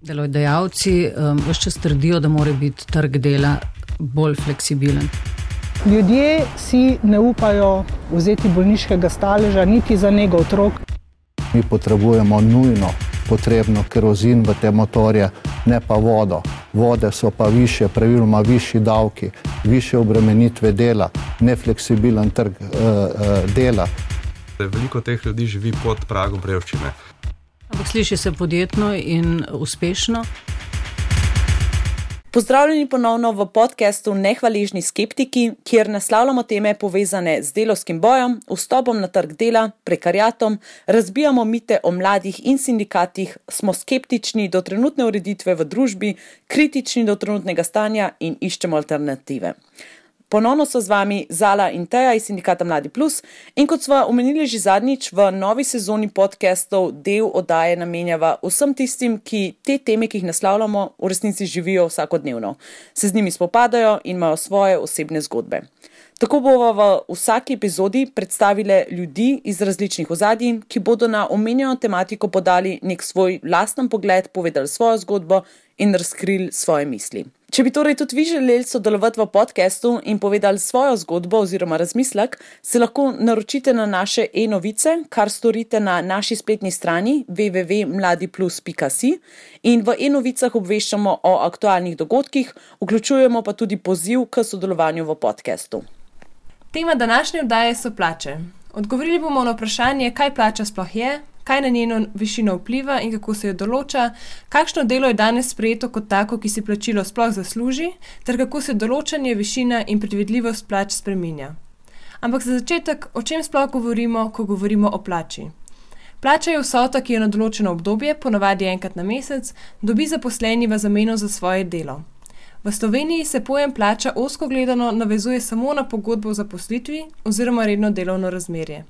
Delodajalci ves čas trdijo, da mora biti trg dela bolj fleksibilen. Ljudje si ne upajo vzeti bolniškega staleža niti za nego otrok. Mi potrebujemo nujno potrebno kerozin v te motorje, ne pa vodo. Vode so pa više, praviloma višji davki, više obremenitve dela, nefleksibilen trg dela. Veliko teh ljudi živi pod pragom revščine. Ampak sliši se podjetno in uspešno. Pozdravljeni ponovno v podcastu Nehvaležni skeptiki, kjer naslavljamo teme povezane z delavskim bojem, vstopom na trg dela, prekariatom, razbijamo mite o mladih in sindikatih, smo skeptični do trenutne ureditve v družbi, kritični do trenutnega stanja in iščemo alternative. Ponovno so z vami Zala in Teja iz sindikata Mladi Plus in kot sva omenili že zadnjič, v novi sezoni podcastov del oddaje namenjava vsem tistim, ki te teme, ki jih naslavljamo, v resnici živijo vsakodnevno. Se z njimi spopadajo in imajo svoje osebne zgodbe. Tako bova v vsaki epizodi predstavile ljudi iz različnih ozadij, ki bodo na omenjeno tematiko podali nek svoj lasten pogled, povedali svojo zgodbo in razkrili svoje misli. Če bi torej tudi vi želeli sodelovati v podcastu in povedali svojo zgodbo oziroma razmislek, se lahko naročite na naše e-novice, kar storite na naši spletni strani www.mladiplus.si in v e-novicah obveščamo o aktualnih dogodkih, vključujemo pa tudi poziv k sodelovanju v podcastu. Tema današnje oddaje so plače. Odgovorili bomo na vprašanje, kaj plača sploh je, kaj na njeno višino vpliva in kako se jo določa, kakšno delo je danes sprejeto kot tako, ki si plačilo sploh zasluži, ter kako se določanje, višina in predvidljivost plač spreminja. Ampak za začetek, o čem sploh govorimo, ko govorimo o plači? Plača je vsota, ki jo na določeno obdobje, ponavadi enkrat na mesec, dobi zaposleni v zameno za svoje delo. V Sloveniji se pojem plača ozko gledano navezuje samo na pogodbo o zaposlitvi oziroma redno delovno razmerje.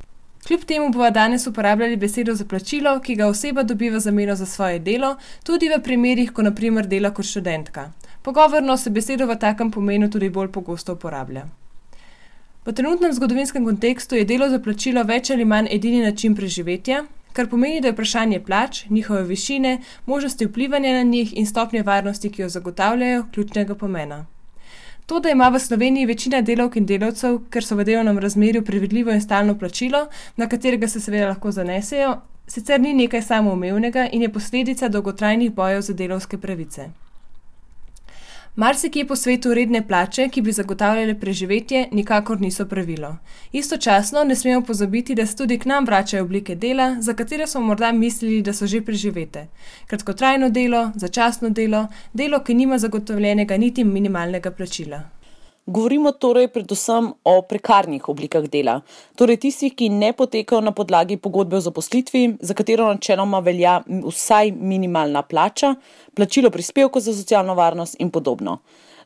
Kljub temu bova danes uporabljali besedo za plačilo, ki ga oseba dobi v zameno za svoje delo, tudi v primerih, ko na primer dela kot študentka. Pogovorno se besedo v takem pomenu tudi bolj pogosto uporablja. V trenutnem zgodovinskem kontekstu je delo za plačilo več ali manj edini način preživetja, kar pomeni, da je vprašanje plač, njihove višine, možnosti vplivanja na njih in stopnje varnosti, ki jo zagotavljajo, ključnega pomena. To, da ima v Sloveniji večina delavk in delavcev, ker so v delovnem razmerju predvidljivo in stalno plačilo, na katerega se seveda lahko zanesejo, sicer ni nekaj samoumevnega in je posledica dolgotrajnih bojev za delavske pravice. Marsikje po svetu redne plače, ki bi zagotavljale preživetje, nikakor niso pravilo. Istočasno ne smemo pozabiti, da se tudi k nam vračajo oblike dela, za katere smo morda mislili, da so že preživete. Kratkotrajno delo, začasno delo, delo, ki nima zagotovljenega niti minimalnega plačila. Govorimo torej predvsem o prekarnih oblikah dela, torej tistih, ki ne potekajo na podlagi pogodbe o zaposlitvi, za katero načeloma velja vsaj minimalna plača, plačilo prispevkov za socialno varnost in podobno.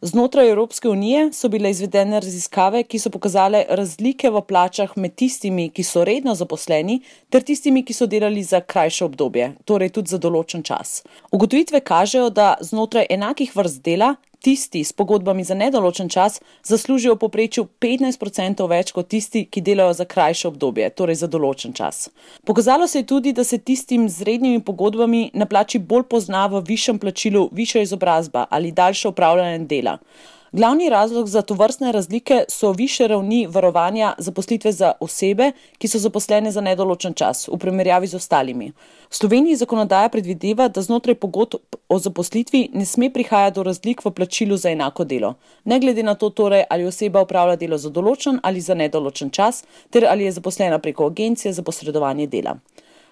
Znotraj Evropske unije so bile izvedene raziskave, ki so pokazale razlike v plačah med tistimi, ki so redno zaposleni, ter tistimi, ki so delali za krajše obdobje, torej tudi za določen čas. Ugotovitve kažejo, da znotraj enakih vrst dela tisti s pogodbami za nedoločen čas zaslužijo v povprečju 15% več kot tisti, ki delajo za krajše obdobje, torej za določen čas. Pokazalo se je tudi, da se tistim z rednimi pogodbami na plači bolj pozna v višjem plačilu višja izobrazba ali daljše opravljanje dela. Glavni razlog za tovrstne razlike so višje ravni varovanja zaposlitve za osebe, ki so zaposlene za nedoločen čas, v primerjavi z ostalimi. V Sloveniji zakonodaja predvideva, da znotraj pogodb o zaposlitvi ne sme prihajati do razlik v plačilu za enako delo, ne glede na to torej, ali oseba opravlja delo za določen ali za nedoločen čas, ter ali je zaposlena preko agencije za posredovanje dela.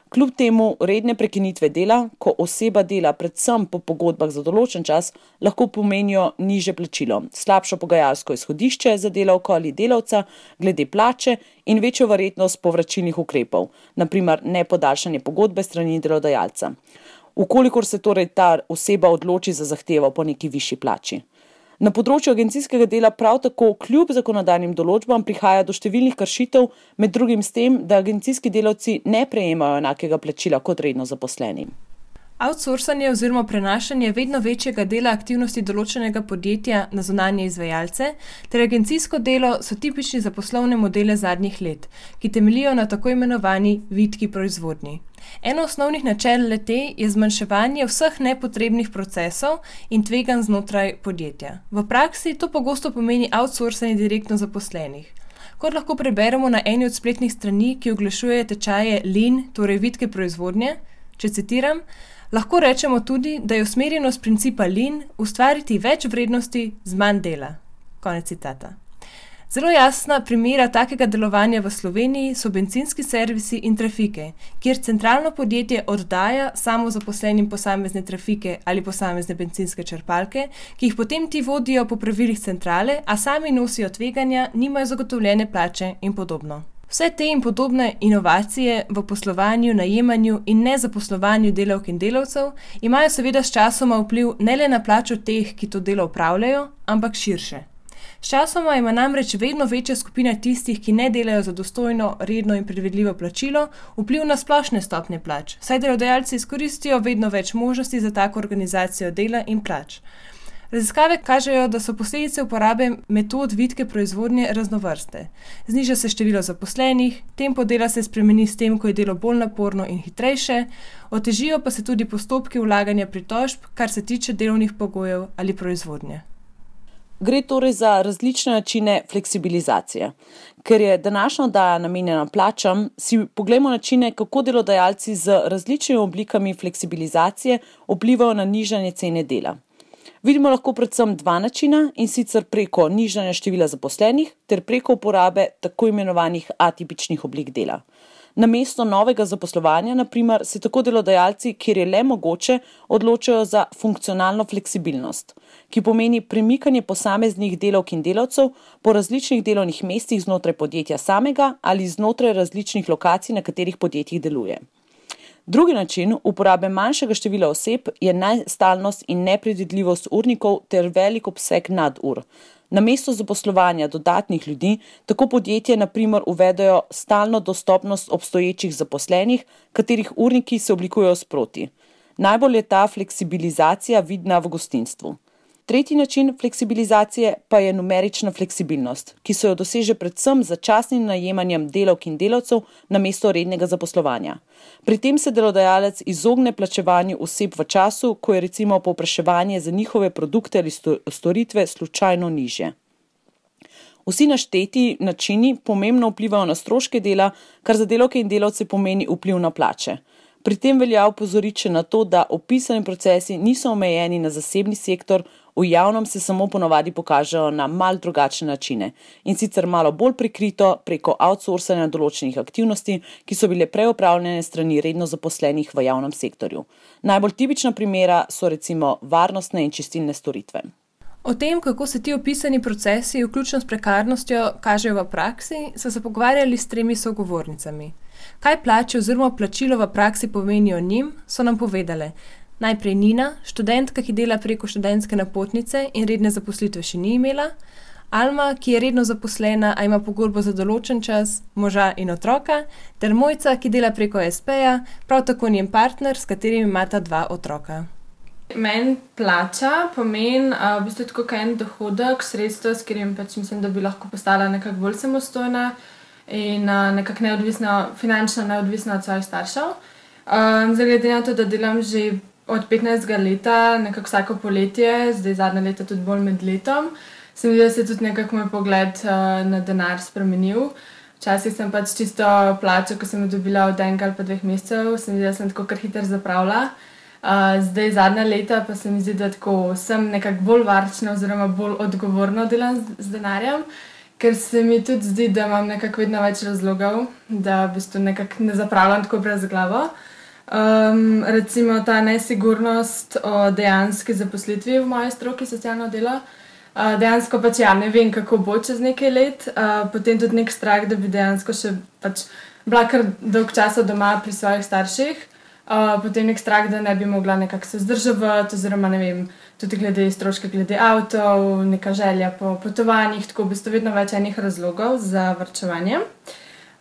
Kljub temu redne prekinitve dela, ko oseba dela predvsem po pogodbah za določen čas, lahko pomenijo nižje plačilo, slabšo pogajalsko izhodišče za delavko ali delavca glede plače in večjo verjetnost povračilnih ukrepov, na primer nepodaljšanje pogodbe strani delodajalca, ukolikor se torej ta oseba odloči za zahtevo po neki višji plači. Na področju agencijskega dela prav tako kljub zakonodajnim določbam prihaja do številnih kršitev, med drugim s tem, da agencijski delavci ne prejemajo enakega plačila kot redno zaposleni. Outsourcanje oziroma prenašanje vedno večjega dela aktivnosti določenega podjetja na zunanje izvajalce ter agencijsko delo so tipični za poslovne modele zadnjih let, ki temeljijo na tako imenovani vitki proizvodnji. Eno osnovnih načel le-te je zmanjševanje vseh nepotrebnih procesov in tveganj znotraj podjetja. V praksi to pogosto pomeni outsourcanje direktno zaposlenih. Kot lahko preberemo na eni od spletnih strani, ki oglašuje tečaje Lean, torej vitke proizvodnje, če citiram, lahko rečemo tudi, da je usmerjenost principa Lean ustvariti več vrednosti z manj dela. Konec citata. Zelo jasna primera takega delovanja v Sloveniji so bencinski servisi in trafike, kjer centralno podjetje oddaja samozaposlenim posamezne trafike ali posamezne bencinske črpalke, ki jih potem ti vodijo po pravilih centrale, a sami nosijo tveganja, nimajo zagotovljene plače in podobno. Vse te in podobne inovacije v poslovanju, najemanju in nezaposlovanju delavk in delavcev imajo seveda s časoma vpliv ne le na plačo teh, ki to delo opravljajo, ampak širše. S časoma ima namreč vedno večja skupina tistih, ki ne delajo za dostojno, redno in predvidljivo plačilo, vpliv na splošne stopnje plač, saj delodajalci izkoristijo vedno več možnosti za tako organizacijo dela in plač. Raziskave kažejo, da so posledice uporabe metod vitke proizvodnje raznovrste. Zniža se število zaposlenih, tempo dela se spremeni s tem, ko je delo bolj naporno in hitrejše, otežijo pa se tudi postopki vlaganja pritožb, kar se tiče delovnih pogojev ali proizvodnje. Gre torej za različne načine fleksibilizacije. Ker je današnja oddaja namenjena plačam, si poglejmo načine, kako delodajalci z različnimi oblikami fleksibilizacije vplivajo na nižanje cene dela. Vidimo lahko predvsem dva načina, in sicer preko nižanja števila zaposlenih ter preko uporabe tako imenovanih atipičnih oblik dela. Namesto novega zaposlovanja, na primer, se tako delodajalci, kjer je le mogoče, odločajo za funkcionalno fleksibilnost, ki pomeni premikanje posameznih delavk in delavcev po različnih delovnih mestih znotraj podjetja samega ali znotraj različnih lokacij, na katerih podjetjih deluje. Drugi način uporabe manjšega števila oseb je nestalnost in nepredvidljivost urnikov ter velik obseg nadur. Namesto zaposlovanja dodatnih ljudi, tako podjetje na primer uvedejo stalno dostopnost obstoječih zaposlenih, katerih urniki se oblikujejo sproti. Najbolj je ta fleksibilizacija vidna v gostinstvu. Tretji način fleksibilizacije pa je numerična fleksibilnost, ki se jo doseže predvsem z začasnim najemanjem delavk in delavcev namesto rednega zaposlovanja. Pri tem se delodajalec izogne plačevanju oseb v času, ko je recimo povpraševanje za njihove produkte ali storitve slučajno nižje. Vsi našteti načini pomembno vplivajo na stroške dela, kar za delavke in delavce pomeni vpliv na plače. Pri tem velja opozoriti še na to, da opisani procesi niso omejeni na zasebni sektor, v javnem se samo ponavadi pokažejo na malo drugačne načine, in sicer malo bolj prikrito preko outsourcanja določenih aktivnosti, ki so bile prej opravljene strani redno zaposlenih v javnem sektorju. Najbolj tipična primera so recimo varnostne in čistilne storitve. O tem, kako se ti opisani procesi, vključno s prekarnostjo, kažejo v praksi, so se pogovarjali s 3 sogovornicami. Kaj plače oziroma plačilo v praksi pomenijo njim, so nam povedale. Najprej Nina, študentka, ki dela preko študentske napotnice in redne zaposlitve še ni imela, Alma, ki je redno zaposlena, a ima pogodbo za določen čas, moža in otroka, ter Mojca, ki dela preko SP-ja, prav tako njen partner, s katerim imata 2 otroka. Meni plača pomeni v bistvu tako en dohodek, sredstvo, s katerim mislim, da bi lahko postala nekako bolj samostojna in nekako neodvisna, finančno neodvisna od svojih staršev. Glede na to, da delam že od 15 leta, nekako vsako poletje, zdaj zadnje leta tudi bolj med letom, se mi zdi, da se je tudi nekako moj pogled na denar spremenil. Včasih sem pač čisto plačo, ko sem jo dobila od 1 ali pa 2 mesecev, se mi zdi, da sem tako kar hiter zapravila. Zdaj zadnja leta pa se mi zdi, da tako sem nekako bolj varčna oziroma bolj odgovorno delam z denarjem, ker se mi tudi zdi, da imam nekako vedno več razlogov, da v bistvu nekako ne zapravljam tako brez glavo. Recimo ta nesigurnost o dejanski zaposlitvi v moji stroki socialno delo. Dejansko pač ne vem, kako bo čez nekaj let, potem tudi nek strah, da bi dejansko še pač bila kar dolg časa doma pri svojih starših, potem nek strah, da ne bi mogla nekako se vzdrževati, oziroma ne vem, tudi glede stroške, glede avtov, neka želja po potovanjih, tako v bistvu vedno več enih razlogov za varčevanje.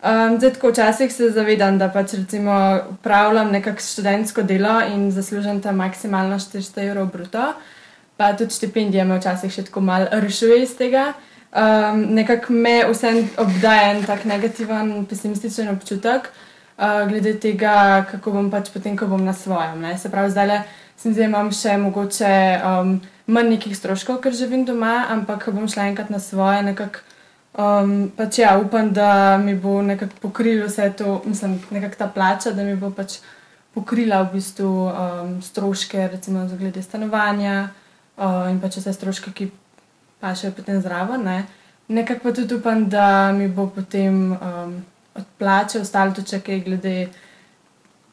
Zdaj tako včasih se zavedam, da pač recimo upravljam nekako študentsko delo in zaslužim tam maksimalno 400 € bruto, pa tudi štipendije me včasih še tako malo rešuje iz tega. Nekako me vsem obdaja en tak negativen, pesimističen občutek, glede tega, kako bom pač potem, ko bom na svojem. Ne? Se pravi, zdaj se mi zdi, da imam še mogoče manj nekih stroškov, ker živim doma, ampak ko bom šla enkrat na svoje, nekako pač ja, upam, da mi bo nekako pokrilo vse to, mislim, nekako ta plača, da mi bo pač pokrila v bistvu stroške, recimo glede stanovanja in pač vse stroške, ki pašejo potem zraven, ne. Nekako pa tudi upam, da mi bo potem od plače ostalo tudi še kaj glede,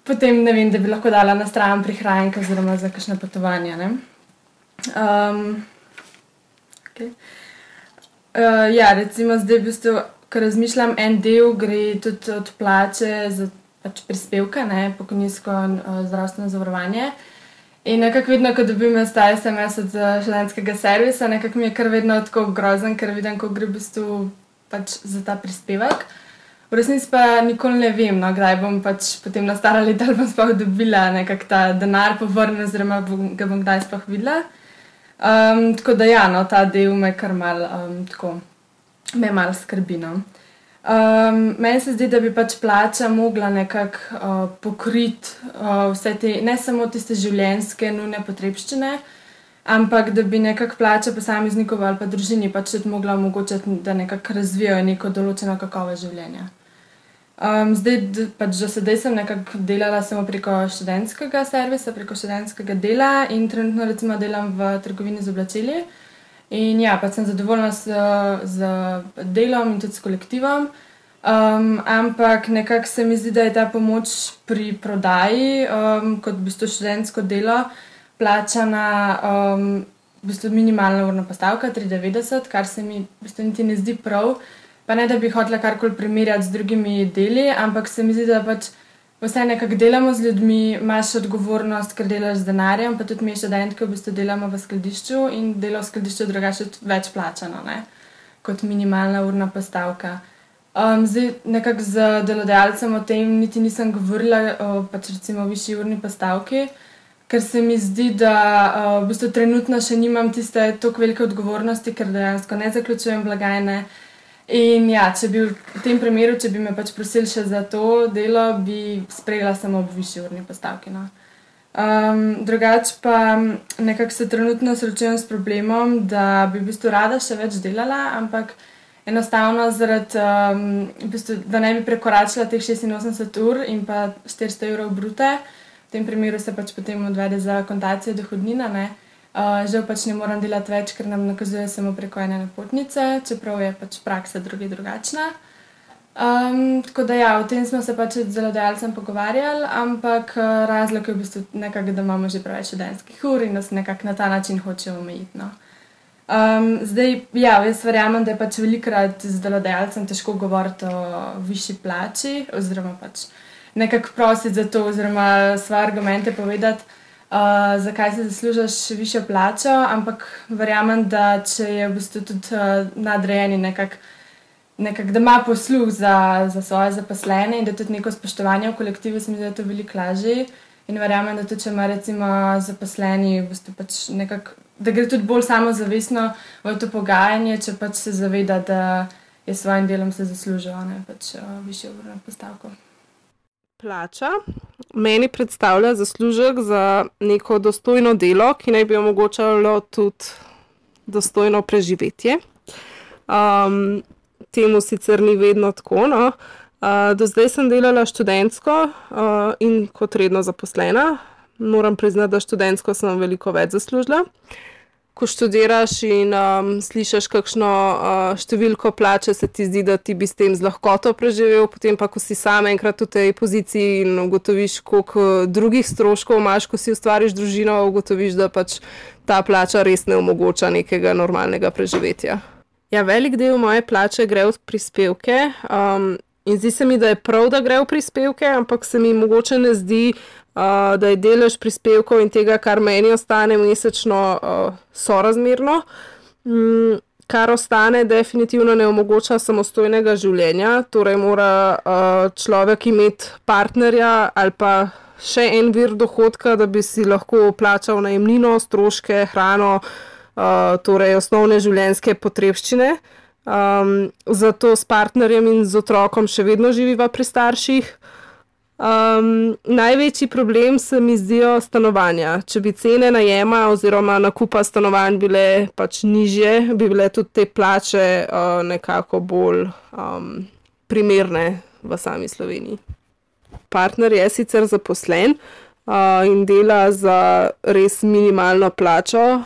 potem ne vem, da bi lahko dala na stran prihranke oziroma za kakšne potovanja, ne. Ja, recimo zdaj v bistvu, ko razmišljam, en del gre tudi od plače za pač prispevke, ne, pokojninsko zdravstveno zavarovanje. In nekako vedno, ko dobim ta SMS od študentskega servisa, nekako mi je kar vedno tako grozen, ker vidim, ko gre v bistvu pač za ta prispevek. V resnici pa nikoli ne vem, no, kdaj bom pač potem na stara leta ali bom sploh dobila nekako ta denar povrnjen oziroma ga bom kdaj sploh videla. Tako da ja, no, ta del me kar malo tako, me malo skrbi, no. Meni se zdi, da bi pač plača mogla nekako pokriti vse te, ne samo tiste življenjske nujne potrebščine, ampak da bi nekako plača posameznikov ali pa družini pač tudi mogla omogočiti, da nekako razvijajo neko določeno kakovost življenja. Zdaj pač do sedaj sem nekako delala samo preko študentskega servisa, preko študentskega dela in trenutno recimo delam v trgovini z oblačili. In ja, pač sem zadovoljna z delom in tudi s kolektivom, ampak nekako se mi zdi, da je ta pomoč pri prodaji kot v bistvu študentsko delo plačana v bistvu minimalna urna postavka, 3,90, kar se mi v bistvu niti ne zdi prav. Pa ne, da bi hotela karkoli primerjati z drugimi deli, ampak se mi zdi, da pač vse nekako delamo z ljudmi, imaš odgovornost, ker delaš z denarjem, pa tudi mi študentke v bistvu delamo v skladišču in delo v skladišču drugače več plačano, ne, kot minimalna urna postavka. Zdaj nekako z delodajalcem o tem niti nisem govorila pač recimo o višji urni postavki, ker se mi zdi, da v bistvu trenutno še nimam tiste toliko velike odgovornosti, ker dejansko ne zaključujem blagajne. In ja, če bi v tem primeru, če bi me pač prosili še za to delo, bi sprejela samo ob višji urni postavki, no. Drugače pa nekako se trenutno srečujem s problemom, da bi v bistvu rada še več delala, ampak enostavno zaradi, v bistvu, da ne bi prekoračila teh 86 ur in pa 400 evrov brute, v tem primeru se pač potem odvede za akontacijo dohodnina, ne. Žal pač ne moram delati več, ker nam nakazuje samo preko ene napotnice, čeprav je pač praksa drugačna. Tako da ja, o tem smo se pač z delodajalcem pogovarjali, ampak razlog je v bistvu nekako, da imamo že preveč študentskih ur in da se nekako na ta način hočejo omejiti, no. Zdaj, ja, jaz verjamem, da je pač velikokrat z delodajalcem težko govoriti o višji plači oziroma pač nekako prositi za to oziroma svoje argumente povedati, zakaj si zaslužiš višjo plačo, ampak verjamem, da če je v bistvu tudi nadrejeni nekako, da ima posluh za svoje zaposlene in da tudi neko spoštovanje v kolektivu, se mi zdi, da je to veliko lažje. In verjamem, da tudi če ima recimo zaposleni v bistvu pač nekako, da gre tudi bolj samozavestno v to pogajanje, če pač se zaveda, da je s svojim delom se zaslužil, ne, pač višjo urno postavko. Plača meni predstavlja zaslužek za neko dostojno delo, ki naj bi omogočalo tudi dostojno preživetje. Temu sicer ni vedno tako, no. Do zdaj sem delala študentsko in kot redno zaposlena. Moram priznati, da študentsko sem veliko več zaslužila. Ko študiraš in slišiš kakšno številko plače, se ti zdi, da ti bi s tem z lahkoto preživel, potem pa, ko si sam enkrat v tej poziciji in ugotoviš, koliko drugih stroškov imaš, ko si ustvariš družino, ugotoviš, da pač ta plača res ne omogoča nekega normalnega preživetja. Ja, velik del moje plače gre v prispevke in zdi se mi, da je prav, da gre v prispevke, ampak se mi mogoče ne zdi, da je delež prispevkov in tega, kar meni ostane mesečno, sorazmerno. Kar ostane, definitivno ne omogoča samostojnega življenja, torej mora človek imeti partnerja ali pa še en vir dohodka, da bi si lahko plačal najemnino, stroške, hrano, torej osnovne življenjske potrebščine. Zato s partnerjem in z otrokom še vedno živiva pri starših. Največji problem se mi zdijo stanovanja. Če bi cene najema oziroma nakupa stanovanj bile pač nižje, bi bile tudi te plače nekako bolj primerne v sami Sloveniji. Partner je sicer zaposlen in dela za res minimalno plačo.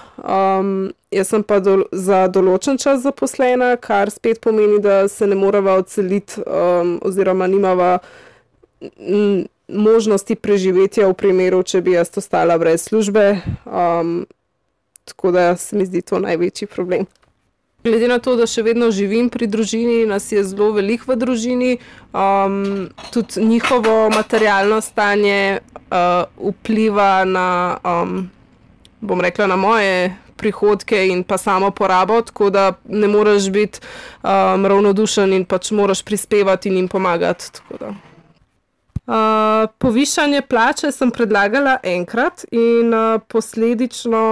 Jaz sem pa za določen čas zaposlena, kar spet pomeni, da se ne morava odseliti oziroma nimava možnosti preživetja v primeru, če bi jaz ostala brez službe. Tako da se mi zdi to največji problem. Glede na to, da še vedno živim pri družini, nas je zelo veliko v družini, tudi njihovo materialno stanje vpliva na, bom rekla, na moje prihodke in pa samo porabo, tako da ne moreš biti ravnodušen in pač moraš prispevati in jim pomagati. Tako da. Povišanje plače sem predlagala enkrat in posledično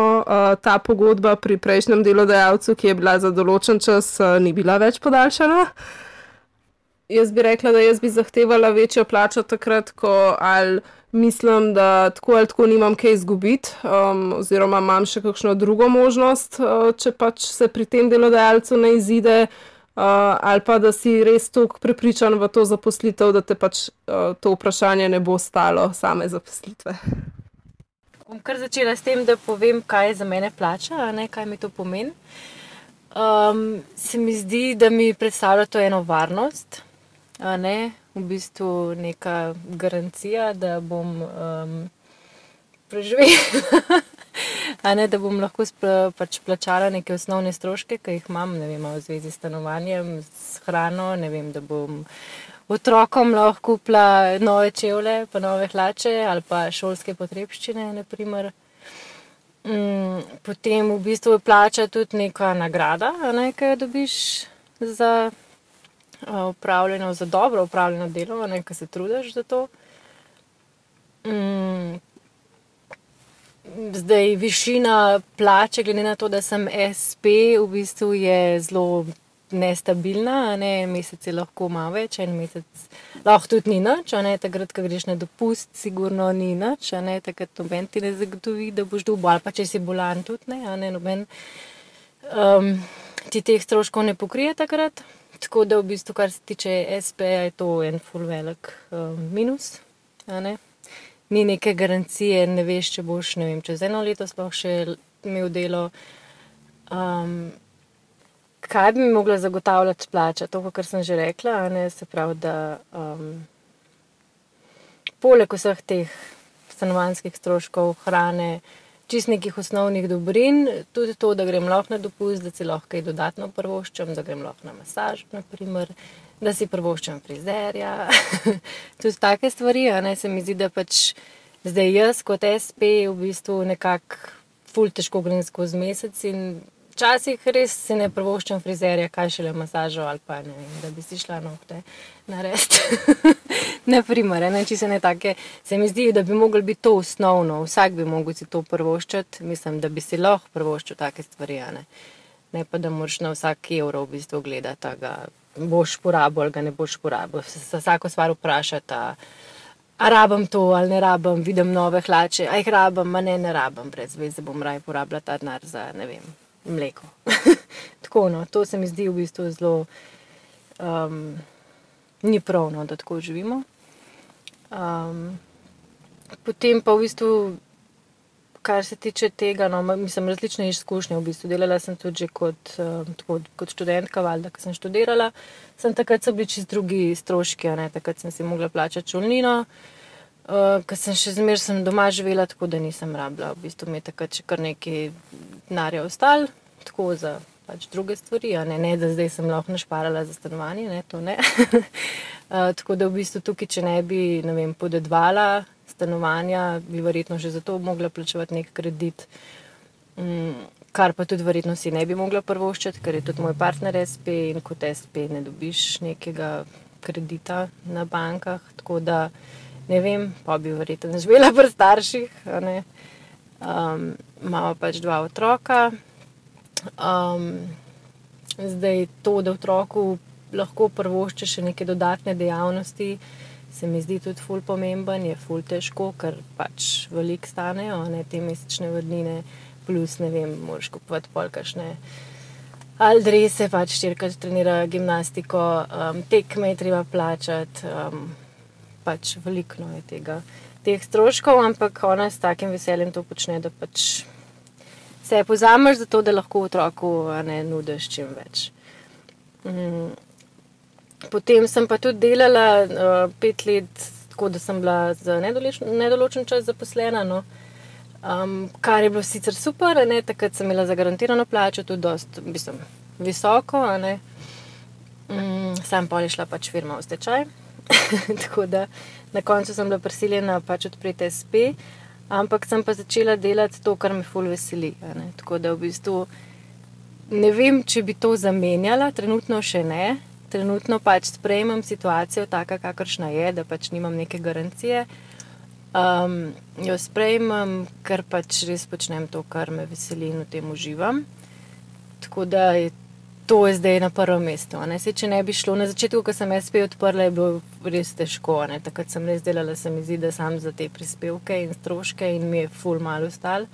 ta pogodba pri prejšnjem delodajalcu, ki je bila za določen čas, ni bila več podaljšana. Jaz bi rekla, da jaz bi zahtevala večjo plačo takrat, ko ali mislim, da tako ali tako nimam kaj izgubiti, oziroma imam še kakšno drugo možnost, če pač se pri tem delodajalcu ne izide, ali pa da si res toliko prepričan v to zaposlitev, da te pač to vprašanje ne bo stalo same zaposlitve. Bom kar začela s tem, da povem, kaj je za mene plača, kaj mi to pomeni. Se mi zdi, da mi predstavlja to eno varnost, v bistvu neka garancija, da bom preživela. Da bom lahko pač plačala neke osnovne stroške, ki jih imam, ne vem, v zvezi s stanovanjem, s hrano, ne vem, da bom otrokom lahko kupila nove čevlje, pa nove hlače ali pa šolske potrebščine, na primer. Potem v bistvu plača tudi neka nagrada, ki jo dobiš za za dobro opravljeno delo, ki se trudiš za to. Zdaj, višina plače, glede na to, da sem SP, v bistvu je zelo nestabilna, mesec je lahko malo več, en mesec lahko tudi ni nič, takrat, ko greš na dopust, sigurno ni nič, takrat noben ti ne zagotovi, da boš dobil, ali pa če si bolan tudi, noben ti teh stroškov ne pokrije takrat, tako da v bistvu, kar se tiče SP, je to en ful velik minus, Ni neke garancije, ne veš, če boš, ne vem, čez eno leto sploh še imel delo. Kaj bi mi mogla zagotavljati plača? To, kar sem že rekla, se pravi, da poleg vseh teh stanovanjskih stroškov, hrane, čist nekih osnovnih dobrin, tudi to, da grem lahko na dopust, da si lahko kaj dodatno privoščim, da grem lahko na masaž, na primer, da si privoščim frizerja, tudi take stvari, se mi zdi, da pač zdaj jaz kot SP v bistvu nekako ful težko grem skozi mesec in včasih res si ne privoščim frizerja, kaj šele masažo ali pa ne vem, da bi si šla nohte narediti. Na primer, čisto ne take, se mi zdi, da bi moglo biti to osnovno, vsak bi mogel si to privoščiti, mislim, da bi si lahko privoščil take stvari, ne pa da moraš na vsak evro v bistvu gledati, ga boš porabil ali ga ne boš porabil. Se vsako stvar vprašati, a rabim to ali ne rabim, vidim nove hlače, a jih rabim, ne rabim, brez veze bom raje porabila ta denar za, ne vem, mleko. Tako, to se mi zdi v bistvu zelo ni prav, da tako živimo. Potem pa v bistvu, kar se tiče tega, mislim, različne izkušnje v bistvu. Delala sem tudi že kot študentka, valjda, ko sem študirala. Takrat so bili čist drugi stroški, takrat sem si mogla plačati šolnino, ker sem doma živela, tako da nisem rabila. V bistvu mi je takrat še kar nekaj denarja ostalo, tako za pač druge stvari, ne, da zdaj sem lahko našparala za stanovanje, to ne. Tako da v bistvu tukaj, če ne bi, ne vem, podedvala stanovanja, bi verjetno že zato mogla plačevati nek kredit, kar pa tudi verjetno si ne bi mogla privoščiti, ker je tudi moj partner SP in kot SP ne dobiš nekega kredita na bankah, tako da ne vem, pa bi verjetno živela pri starših, imamo pač 2 otroka. Zdaj to, da otroku lahko privoščiš še neke dodatne dejavnosti, se mi zdi tudi ful pomemben, je ful težko, ker pač veliko stanejo, ne, te mesečne vodnine, plus, ne vem, moraš kupovati pol kakšne ali drese, pač 4-krat trenira gimnastiko, tekme je treba plačati, pač veliko je teh stroškov, ampak ona s takim veseljem to počne, da pač se pozameš za to, da lahko otroku nudiš čim več. Potem sem pa tudi delala 5 let, tako da sem bila za nedoločen čas zaposlena, no. Kar je bilo sicer super, takrat sem imela zagarantirano plačo, tudi dosti, visoko, sam pol je šla pač firma v stečaj, tako da na koncu sem bila prisiljena pač odpreti SP, ampak sem pa začela delati to, kar me ful veseli, tako da v bistvu ne vem, če bi to zamenjala, trenutno še ne, trenutno pač sprejemam situacijo taka, kakršna je, da pač nimam neke garancije, jo sprejmem, ker pač res počnem to, kar me veseli in v tem uživam. Tako da to je zdaj na prvem mestu. Saj, če ne bi šlo, na začetku, ko sem SP odprla, je bilo res težko. Takrat sem res delala, se mi zdi, da sam za te prispevke in stroške in mi je ful malo ostalo.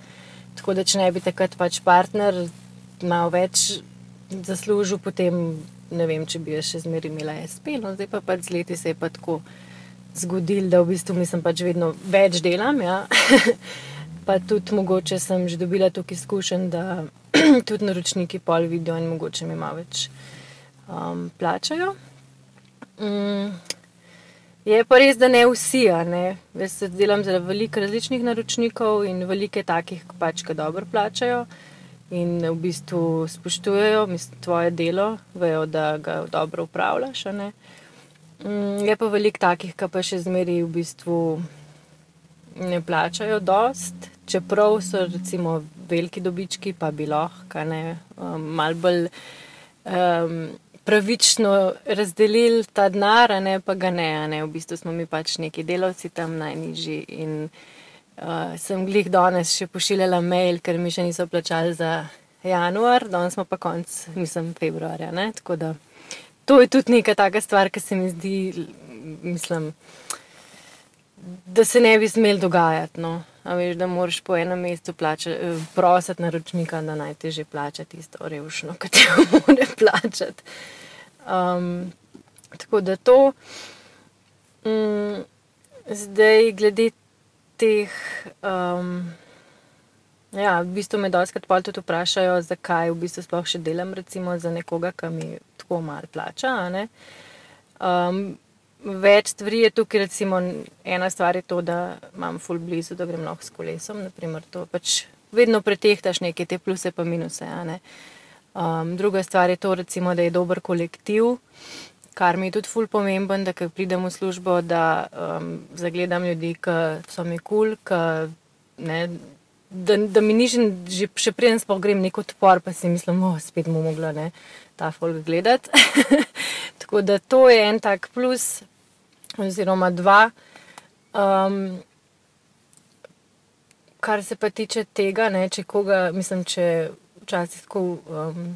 Tako da, če ne bi takrat pač partner malo več zaslužil, potem ne vem, če bi še zmeraj imela SP. No, zdaj pa pač z leti se je pa tako zgodil, da v bistvu mislim pač vedno več delam, ja. Pa tudi mogoče sem že dobila toliko izkušenj, da tudi naročniki pol vidijo in mogoče mi malo več plačajo. Je pa res, da ne vsi, Jaz se delam za veliko različnih naročnikov in veliko takih pač, ki dobro plačajo in v bistvu spoštujejo tvoje delo, vejo, da ga dobro upravljaš, Je pa veliko takih, ki pa še zmeraj v bistvu ne plačajo dost, čeprav so recimo veliki dobički, pa bi lahko, malo bolj pravično razdelili ta denar, pa ga ne, v bistvu smo mi pač neki delavci tam najnižji in sem glih danes še pošiljala mail, ker mi še niso plačali za januar, danes smo pa konc, februarja, tako da to je tudi neka taka stvar, ki se mi zdi, da se ne bi smel dogajati, no. A veš, da moraš po enem mesecu prositi naročnika, da naj te že plača tisto revšno, ki te mora plačati. Tako da to. Zdaj, glede teh, v bistvu me dostikrat pol tudi vprašajo, zakaj v bistvu sploh še delam recimo za nekoga, ki mi tako malo plača, Več stvari je tukaj, recimo ena stvar je to, da imam ful blizu, da grem lahko s kolesom, naprimer to pač vedno pretehtaš neke te pluse pa minuse, Druga stvar je to, recimo, da je dober kolektiv, kar mi je tudi ful pomemben, da ko pridem v službo, da zagledam ljudi, ki so mi kul, da mi ni še preden sploh grem nek odpor, pa si mislim, spet mu mogla ta folk gledati. Tako da to je en tak plus, oziroma 2. Kar se pa tiče tega, če včasih tako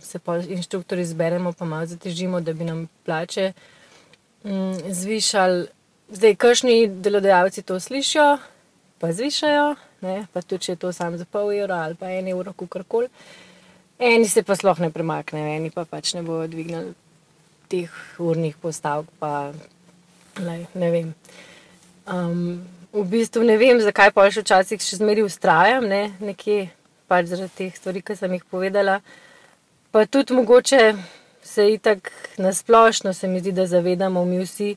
se pa inštruktorji zberemo, pa malo zatežimo, da bi nam plače zvišali. Zdaj, kakšni delodajalci to slišijo, pa zvišajo, pa tudi, če je to samo za pol evra ali pa 1 evro, kakorkoli. Eni se pa sploh ne premaknejo, eni pa pač ne bojo dvignili teh urnih postavk, pa ne vem. V bistvu ne vem, zakaj pa še včasih še zmeraj vztrajam, nekje, pač zaradi teh stvari, ki sem jih povedala. Pa tudi mogoče se itak nasplošno se mi zdi, da zavedamo mi vsi,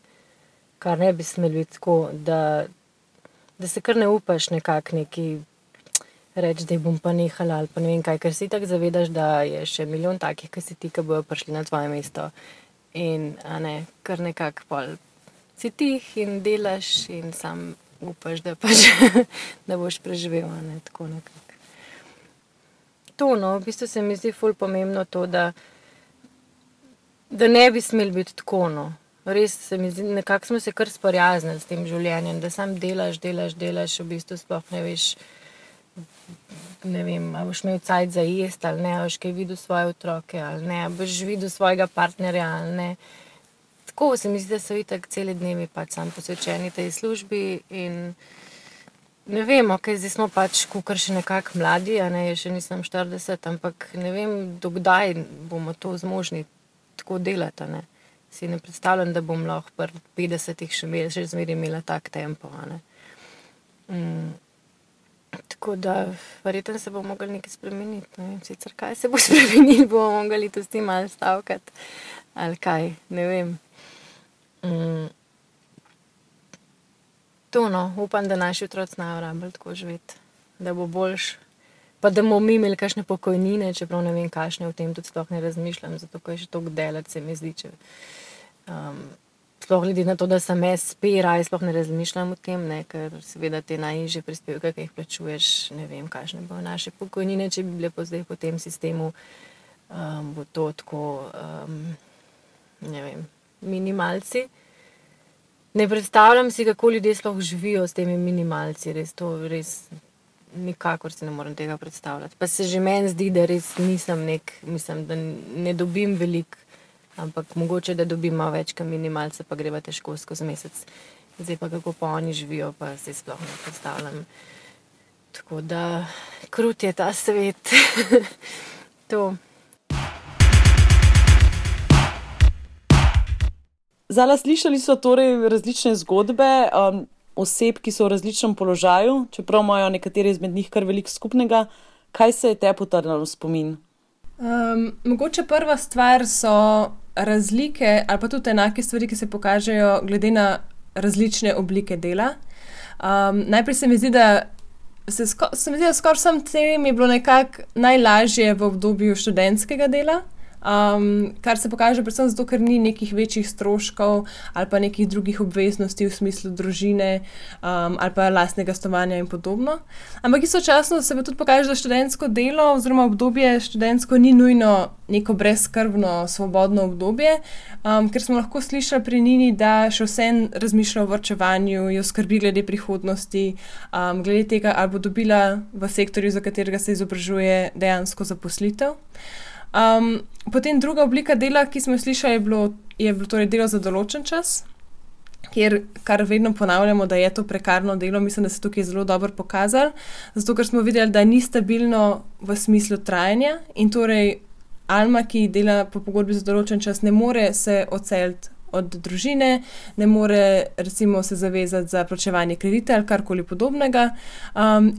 kar ne bi smeli biti tako, da se kar ne upaš nekako neki reči, da bom pa nehala ali pa ne vem kaj, ker si itak zavedaš, da je še milijon takih, ki si ti, ki bojo prišli na tvoje mesto. In kar nekako pol si tih in delaš in sam upaš, da pač da boš preživel, tako nekako. To, v bistvu se mi zdi ful pomembno to, da ne bi smeli biti tako, Res se mi zdi, nekako smo se kar sprijaznili s tem življenjem, da sam delaš, v bistvu sploh ne veš, ne vem, a boš imel cajt za jesti ali ne, a boš kaj videl svoje otroke ali ne, a boš videl svojega partnerja ali ne. Lahko, se mi zdi, da so itak celi dnevi pač sam posvečeni tej službi in ne vem, zdaj smo pač kukar še nekako mladi, še nisem 40, ampak ne vem, dokdaj bomo to zmožni tako delati, Si ne predstavljam, da bom lahko pri 50-ih še zmeri imela tak tempo, Tako da, verjetno se bo mogli nekaj spremeniti, ne vem sicer, kaj se bo spremenili, bomo mogli to s tem malo stavkati, ali kaj, ne vem. To upam, da naši otroci znajo rabili tako živeti, da bo boljš, pa da bomo mi imeli kakšne pokojnine, čeprav ne vem, kakšne, o tem tudi sploh ne razmišljam, zato ko je še toliko delati, se mi zdi, sploh glede na to, da sem SP, raje sploh ne razmišljam o tem, ker seveda te najnižje prispevke, ki jih plačuješ, ne vem, kakšne bo naše pokojnine, če bi bile zdaj po tem sistemu, bo to tako, ne vem, minimalci. Ne predstavljam si, kako ljudje sploh živijo s temi minimalci, res nikakor si ne morem tega predstavljati. Pa se že meni zdi, da res nisem mislim, da ne dobim veliko, ampak mogoče, da dobim malo več, kot minimalce, pa greva težko skozi mesec. Zdaj pa kako pa oni živijo, pa se sploh ne predstavljam. Tako da, krut je ta svet. To. Zala, slišali so torej različne zgodbe oseb, ki so v različnem položaju, čeprav imajo nekateri izmed njih kar veliko skupnega. Kaj se je te potrnilo v spomin? Mogoče prva stvar so razlike ali pa tudi enake stvari, ki se pokažejo glede na različne oblike dela. Najprej se mi zdi, da skoraj vsem tem je bilo nekako najlažje v obdobju študentskega dela, kar se pokaže predvsem zato, ker ni nekih večjih stroškov ali pa nekih drugih obveznosti v smislu družine ali pa lastnega stanovanja in podobno. Ampak istočasno se pa tudi pokaže, da študentsko delo oziroma obdobje študentsko ni nujno neko brezskrbno, svobodno obdobje, ker smo lahko slišali pri Nini, da še vseeno razmišlja o varčevanju, jo skrbi glede prihodnosti, glede tega, ali bo dobila v sektorju, za katerega se izobražuje, dejansko zaposlitev. Potem druga oblika dela, ki smo jo slišali, je bilo torej delo za določen čas, kar vedno ponavljamo, da je to prekarno delo. Mislim, da se tukaj zelo dobro pokazalo, zato ker smo videli, da ni stabilno v smislu trajanja in torej Alma, ki dela po pogodbi za določen čas, ne more se odseliti od družine, ne more recimo se zavezati za plačevanje kredita ali karkoli podobnega.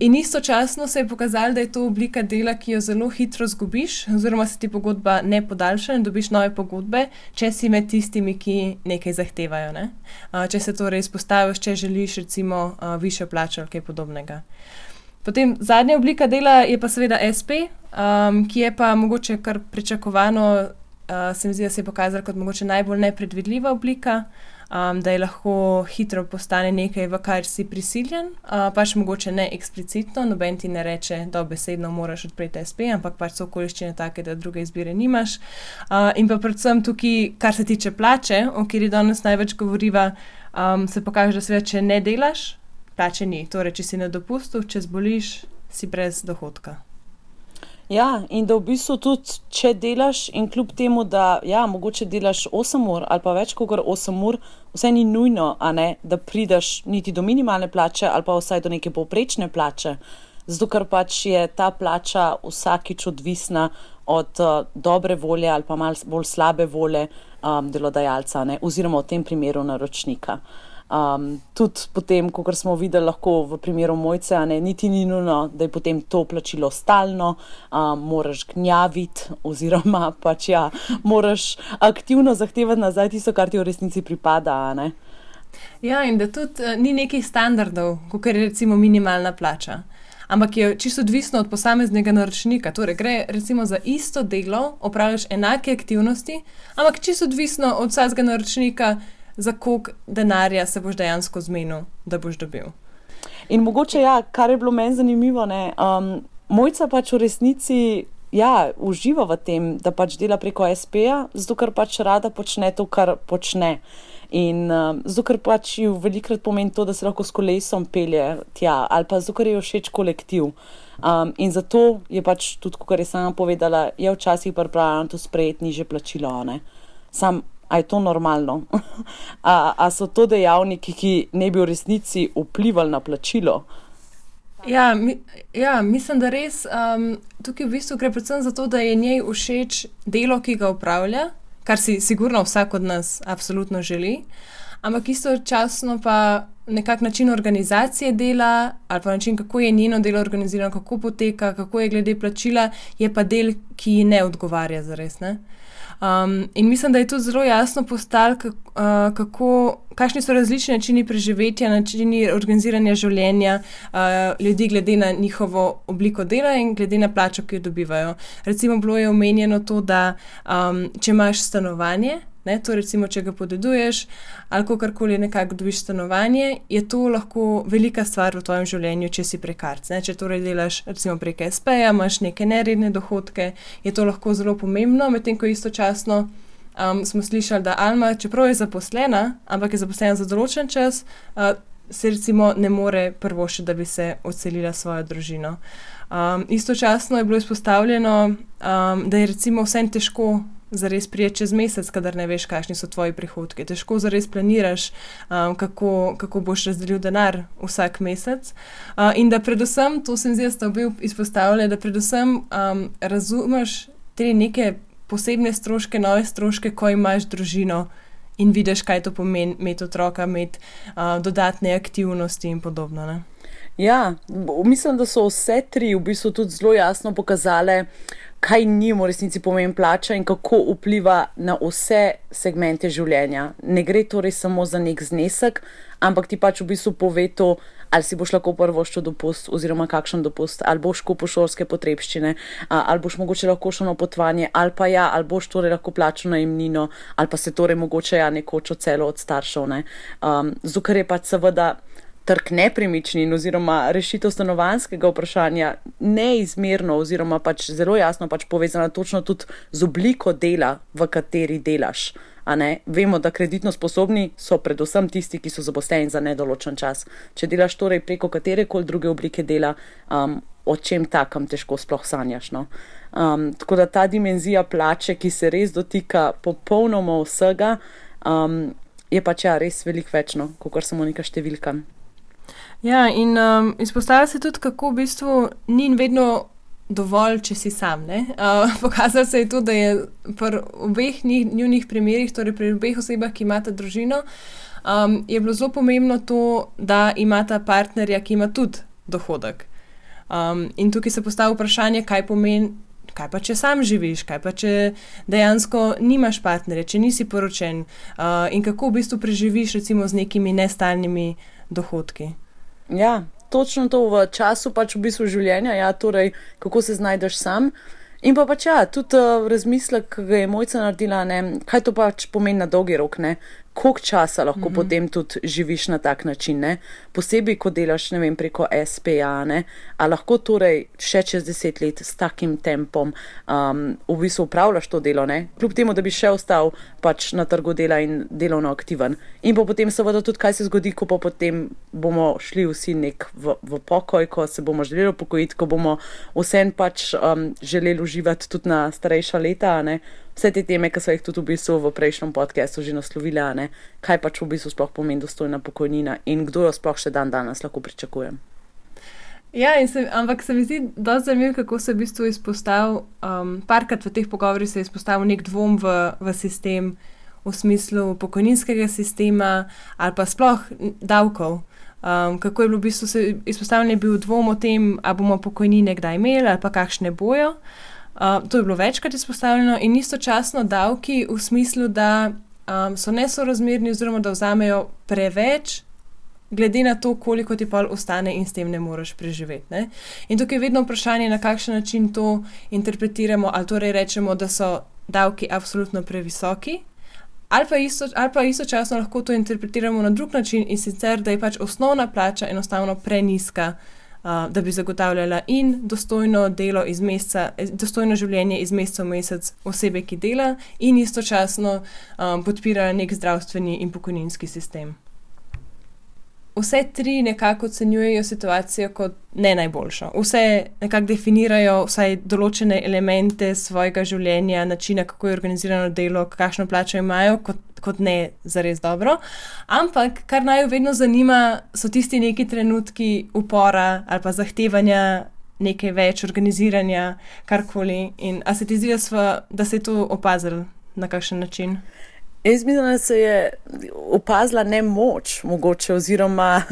In istočasno se je pokazalo, da je to oblika dela, ki jo zelo hitro zgubiš, oziroma se ti pogodba ne podaljša in dobiš nove pogodbe, če si med tistimi, ki nekaj zahtevajo. Ne? Če se torej izpostaviš, če želiš recimo višjo plačo ali kaj podobnega. Potem zadnja oblika dela je pa seveda SP, ki je pa mogoče kar pričakovano, se mi zdi, da se je pokazala kot mogoče najbolj nepredvidljiva oblika, da je lahko hitro postane nekaj, v kar si prisiljen, pač mogoče ne eksplicitno, noben ti ne reče, dobesedno moraš odpreti SP, ampak pač so okoliščine take, da druge izbire nimaš. In pa predvsem tukaj, kar se tiče plače, o kateri danes največ govoriva, se pokaže, da seveda, če ne delaš, plače ni. Torej, če si na dopustu, če zboliš, si brez dohodka. Ja, in da v bistvu tudi, če delaš in kljub temu, da mogoče delaš 8 ur ali pa več kot 8 ur, vse ni nujno, da prideš niti do minimalne plače ali pa vsaj do neke povprečne plače, zato ker pač je ta plača vsakič odvisna od dobre volje ali pa malo bolj slabe volje delodajalca, oziroma v tem primeru naročnika. Tudi potem, kot smo videli lahko v primeru Mojce, niti ni nujno, da je potem to plačilo stalno, moraš gnjaviti oziroma pač moraš aktivno zahtevati nazaj tisto, kar ti v resnici pripada. Ja, in da tudi ni nekih standardov, kot je recimo minimalna plača, ampak je čisto odvisno od posameznega naročnika. Torej, gre recimo za isto delo, opravljaš enake aktivnosti, ampak čisto odvisno od vsakega naročnika, za koliko denarja se boš dejansko zmenil, da boš dobil. In mogoče, kar je bilo meni zanimivo, Mojca pač v resnici, uživa v tem, da pač dela preko SP-ja, zato ker pač rada počne to, kar počne. In zato ker pač ji velikokrat pomeni to, da se lahko s kolesom pelje tja, ali pa zato ker je všeč kolektiv. In zato je pač tudi, kot je sama povedala, je včasih pripravljena to sprejeti nižje plačilo. Sam A je to normalno? A so to dejavniki, ki ne bi v resnici vplivali na plačilo? Ja, mislim, da res tukaj v bistvu gre predvsem za to, da je njej všeč delo, ki ga upravlja, kar si sigurno vsak od nas absolutno želi, ampak istočasno pa nekak način organizacije dela ali pa način, kako je njeno delo organizirano, kako poteka, kako je glede plačila, je pa del, ki ji ne odgovarja zares, ne? In mislim, da je tudi zelo jasno postalo, kakšni so različni načini preživetja, načini organiziranja življenja ljudi glede na njihovo obliko dela in glede na plačo, ki jo dobivajo. Recimo bilo je omenjeno to, da če imaš stanovanje, ne, to recimo, če ga podeduješ ali kakorkoli nekako dobiš stanovanje, je to lahko velika stvar v tvojem življenju, če si prekarc. Ne. Če torej delaš recimo prek SP-ja, imaš neke neredne dohodke, je to lahko zelo pomembno, medtem ko istočasno smo slišali, da Alma, čeprav je zaposlena, ampak je zaposlena za določen čas, se recimo ne more privoščiti, da bi se odselila svojo družino. Istočasno je bilo izpostavljeno, da je recimo vsem težko zares prijeti čez mesec, kadar ne veš, kakšni so tvoji prihodki. Težko zares planiraš, kako boš razdelil denar vsak mesec. In da predvsem, to se mi zdi, da sta obe izpostavljali, da predvsem razumeš te neke posebne stroške, nove stroške, ko imaš družino in vidiš, kaj to pomeni imeti otroka, imeti dodatne aktivnosti in podobno, ne? Ja, mislim, da so vse tri v bistvu tudi zelo jasno pokazale, kaj njim v resnici pomeni plača in kako vpliva na vse segmente življenja. Ne gre torej samo za nek znesek, ampak ti pač v bistvu pove to, ali si boš lahko privoščil dopust oziroma kakšen dopust, ali boš kupil šolske potrebščine, ali boš mogoče lahko šel na potovanje, ali pa ali boš torej lahko plačal najemnino, ali pa se torej mogoče nekoč odselil od staršev. Ne. Zato, ker je pač seveda trg nepremičnin oziroma rešitev stanovanjskega vprašanja neizmerno oziroma pač zelo jasno pač povezana točno tudi z obliko dela, v kateri delaš. A ne? Vemo, da kreditno sposobni so predvsem tisti, ki so zaposleni za nedoločen čas. Če delaš torej preko katerekoli druge oblike dela, o čem takem težko sploh sanjaš. No? Tako da ta dimenzija plače, ki se res dotika popolnoma vsega, je pač res veliko več, no, kakor samo neka številka. Ja, in izpostavlja se tudi, kako v bistvu ni vedno dovolj, če si sam. Pokazalo se je to, da je pri obeh njunih primerih, torej pri obeh osebah, ki imata družino, je bilo zelo pomembno to, da imata partnerja, ki ima tudi dohodek. In tukaj se postavlja vprašanje, kaj pomeni, kaj pa če sam živiš, kaj pa če dejansko nimaš partnerja, če nisi poročen in kako v bistvu preživiš recimo z nekimi nestalnimi dohodki. Ja, točno to v času pač v bistvu življenja, ja, torej kako se znajdeš sam. In pa pač tudi razmislek, ki ga je Mojca naredila, ne, kaj to pač pomeni na dolgi rok, ne, koliko časa lahko potem tudi živiš na tak način, ne, posebej, ko delaš, ne vem, preko SPA, ne, a lahko torej še čez 10 let s takim tempom v bistvu upravljaš to delo, ne, kljub temu, da bi še ostal pač na trgu dela in delovno aktiven. In pa potem seveda tudi, kaj se zgodi, ko pa potem bomo šli vsi v pokoj, ko se bomo želeli upokojiti, ko bomo vsem pač želeli uživati tudi na starejša leta, ne. Vse te teme, ki so jih tudi v bistvu v prejšnjem podcastu že naslovili, ne, kaj pač v bistvu sploh pomeni dostojna pokojnina in kdo jo sploh še danes lahko pričakuje. Ja, ampak se mi zdi dosti zanimivo, kako se v bistvu izpostavil, parkrat v teh pogovorih se je izpostavil nek dvom v sistem, v smislu pokojninskega sistema ali pa sploh davkov. Kako je bilo v bistvu se izpostavljen je bil dvom o tem, a bomo pokojnine kdaj imeli ali pa kakšne bojo. To je bilo večkrat izpostavljeno in istočasno davki v smislu, da so nesorazmerni oziroma da vzamejo preveč glede na to, koliko ti pol ostane in s tem ne moreš preživeti. Ne? In tukaj je vedno vprašanje, na kakšen način to interpretiramo, ali torej rečemo, da so davki absolutno previsoki, ali pa istočasno lahko to interpretiramo na drug način in sicer, da je pač osnovna plača enostavno prenizka, da bi zagotavljala in dostojno delo iz meseca, dostojno življenje iz meseca v mesec osebe, ki dela in istočasno podpira nek zdravstveni in pokojninski sistem. Vse tri nekako ocenjujejo situacijo kot ne najboljšo. Vse nekako definirajo vsaj določene elemente svojega življenja, načina, kako je organizirano delo, kakšno plačo imajo, kot kot ne zares dobro. Ampak, kar naj vedno zanima, so tisti neki trenutki upora ali pa zahtevanja nekaj več, organiziranja, karkoli. In a se ti zdi, da se je to opazilo na kakšen način? Jaz mislim, da se je opazila nemoč, mogoče, oziroma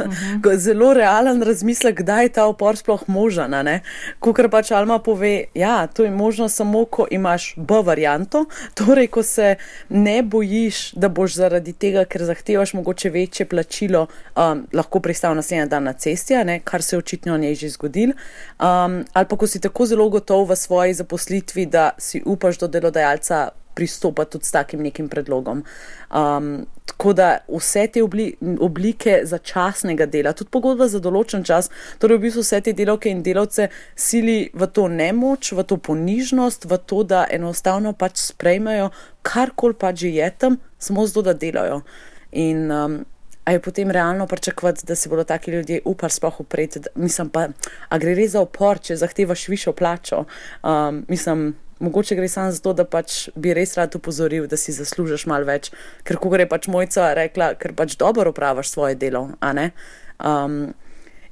zelo realen razmislek, kdaj je ta upor sploh možen. Kakor pač Alma pove, ja, to je možno samo, ko imaš B varianto, torej, ko se ne bojiš, da boš zaradi tega, ker zahtevaš mogoče večje plačilo, lahko pristal naslednji dan na cesti, kar se je očitno njej že zgodilo, ali pa ko si tako zelo gotov v svoji zaposlitvi, da si upaš do delodajalca pristopa tudi s takim nekim predlogom. Tako da vse te oblike začasnega dela, tudi pogodba za določen čas, torej v bistvu vse te delavke in delavce sili v to nemoč, v to ponižnost, v to, da enostavno pač sprejmejo karkoli pač že je tam, samo zato, da delajo. In a je potem realno pričakovati, da se bodo taki ljudje upali sploh upreti. Mislim pa, a gre res za upor, če zahtevaš višjo plačo? Mogoče gre samo zato, da pač bi res rad upozoril, da si zaslužiš malo več, ker ko gre pač Mojca rekla, ker pač dobro opravaš svoje delo, a ne?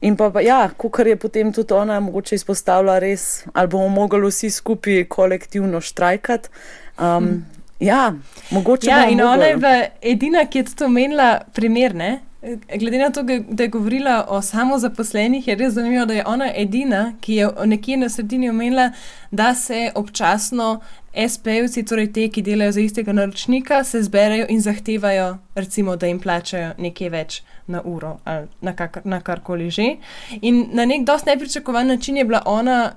In pa ja, kakor je potem tudi ona mogoče izpostavila res, ali bomo mogli vsi skupaj kolektivno štrajkati. Ja, mogoče bomo mogli. In ona je bila edina, ki je tudi omenila primer, ne? Glede na to, da je govorila o samozaposlenih, je res zanimivo, da je ona edina, ki je nekje na sredini omenila, da se občasno SP-jevci, torej te, ki delajo za istega naročnika, se zberejo in zahtevajo, recimo, da jim plačajo nekaj več na uro ali na karkoli že. In na nek dosti nepričakovan način je bila ona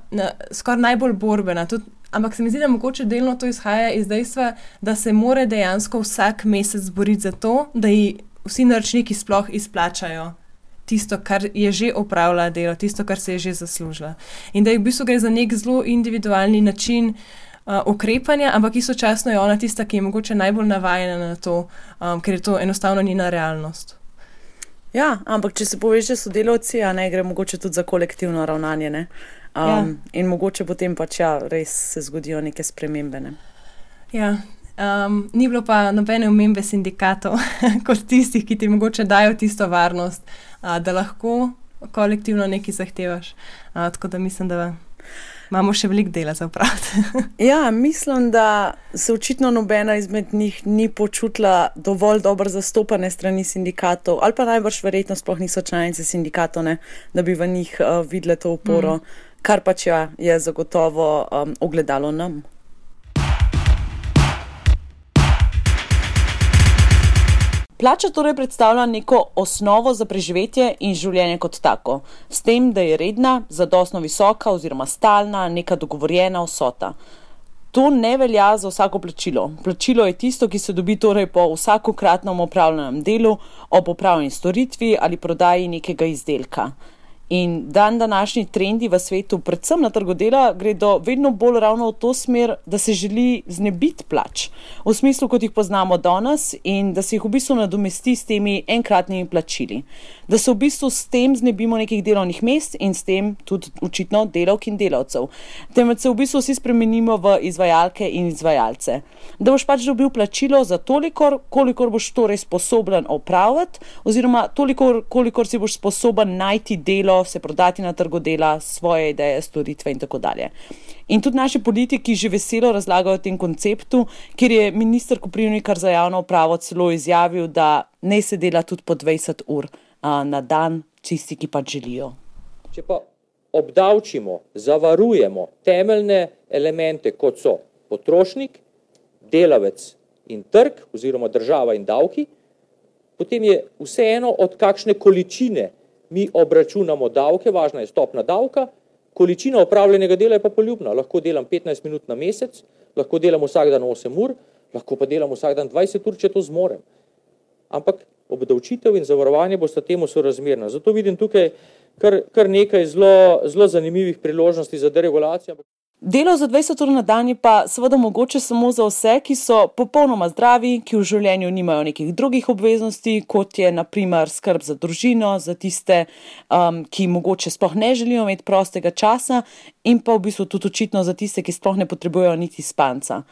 skoraj najbolj borbena. Ampak se mi zdi, da mogoče delno to izhaja iz dejstva, da se mora dejansko vsak mesec boriti za to, da ji vsi naročniki sploh izplačajo tisto, kar je že opravila delo, tisto, kar se je že zaslužila. In da v bistvu gre za nek zelo individualni način ukrepanja, ampak istočasno je ona tista, ki je mogoče najbolj navajena na to, ker je to enostavno njena realnost. Ja, ampak če se poveže s sodelavci, gre mogoče tudi za kolektivno ravnanje, ne? In mogoče potem pač res se zgodijo neke spremembe, ne? Ja. Ni bilo pa nobene omembe sindikatov kot tistih, ki ti mogoče dajo tisto varnost, da lahko kolektivno nekaj zahtevaš. Tako da mislim, da imamo še veliko dela za opraviti. Ja, mislim, da se očitno nobena izmed njih ni počutila dovolj dobro zastopane strani sindikatov, ali pa najbrž verjetno sploh niso članice sindikatov, ne, da bi v njih videle to oporo, kar pač je zagotovo ogledalo nam. Plača torej predstavlja neko osnovo za preživetje in življenje kot tako, s tem, da je redna, zadostno visoka oziroma stalna, neka dogovorjena vsota. To ne velja za vsako plačilo. Plačilo je tisto, ki se dobi torej po vsakokratnem opravljenem delu, ob opravljeni storitvi ali prodaji nekega izdelka. In današnji trendi v svetu, predvsem na trgu dela, gredo vedno bolj ravno v to smer, da se želi znebiti plač, v smislu, kot jih poznamo danes, in da se jih v bistvu nadomesti s temi enkratnimi plačili. Da se v bistvu s tem znebimo nekih delovnih mest in s tem tudi očitno delavk in delavcev. Temveč se v bistvu vsi spremenimo v izvajalke in izvajalce. Da boš pač dobil plačilo za toliko, kolikor boš torej sposoben opraviti, oziroma toliko, kolikor si boš sposoben najti delo, se prodati na trgu dela, svoje ideje, storitve in tako dalje. In tudi naši politiki že veselo razlagajo o tem konceptu, kjer je minister Koprivnikar za javno upravo celo izjavil, da ne se dela tudi po 20 ur na dan, čisti, ki pač želijo. Če pa obdavčimo, zavarujemo temeljne elemente, kot so potrošnik, delavec in trg, oziroma država in davki, potem je vseeno od kakšne količine mi obračunamo davke, važna je stopna davka, količina opravljenega dela je pa poljubna. Lahko delam 15 minut na mesec, lahko delam vsak dan 8 ur, lahko pa delam vsak dan 20 ur, če to zmorem. Ampak obdavčitev in zavarovanje bosta temu sorazmerna. Zato vidim tukaj kar nekaj zelo zanimivih priložnosti za deregulacijo. Delo za 20 ur na dan je pa seveda mogoče samo za vse, ki so popolnoma zdravi, ki v življenju nimajo nekih drugih obveznosti, kot je na primer skrb za družino, za tiste, ki mogoče sploh ne želijo imeti prostega časa, in pa v bistvu tudi očitno za tiste, ki sploh ne potrebujejo niti spanca.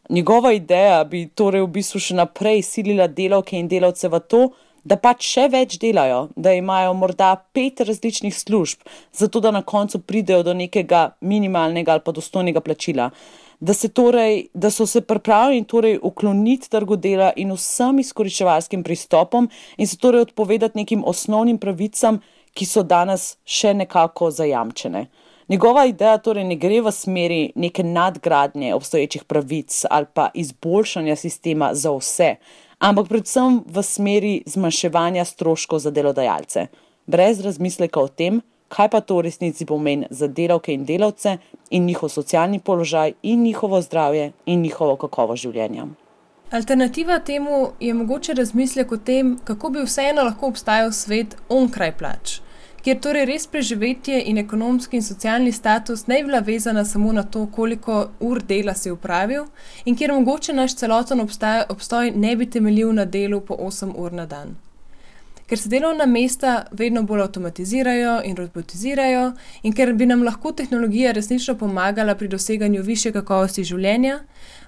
Njegova ideja bi torej v bistvu še naprej silila delavke in delavce v to, da pač še več delajo, da imajo morda 5 različnih služb, zato da na koncu pridejo do nekega minimalnega ali pa dostojnega plačila. Da so se pripravljeni torej ukloniti trgu dela in vsem izkoriščevalskim pristopom in se torej odpovedati nekim osnovnim pravicam, ki so danes še nekako zajamčene. Njegova ideja torej ne gre v smeri neke nadgradnje obstoječih pravic ali pa izboljšanja sistema za vse, ampak predvsem v smeri zmanjševanja stroškov za delodajalce, brez razmisleka o tem, kaj pa to v resnici pomeni za delavke in delavce in njihov socialni položaj in njihovo zdravje in njihovo kakovost življenja. Alternativa temu je mogoče razmislek o tem, kako bi vseeno lahko obstajal svet onkraj plač, kjer torej res preživetje in ekonomski in socialni status ne bi bila vezana samo na to, koliko ur dela si opravil in kjer mogoče naš celoten obstoj ne bi temeljil na delu po 8 ur na dan. Ker se delovna mesta vedno bolj avtomatizirajo in robotizirajo in ker bi nam lahko tehnologija resnično pomagala pri doseganju višje kakovosti življenja,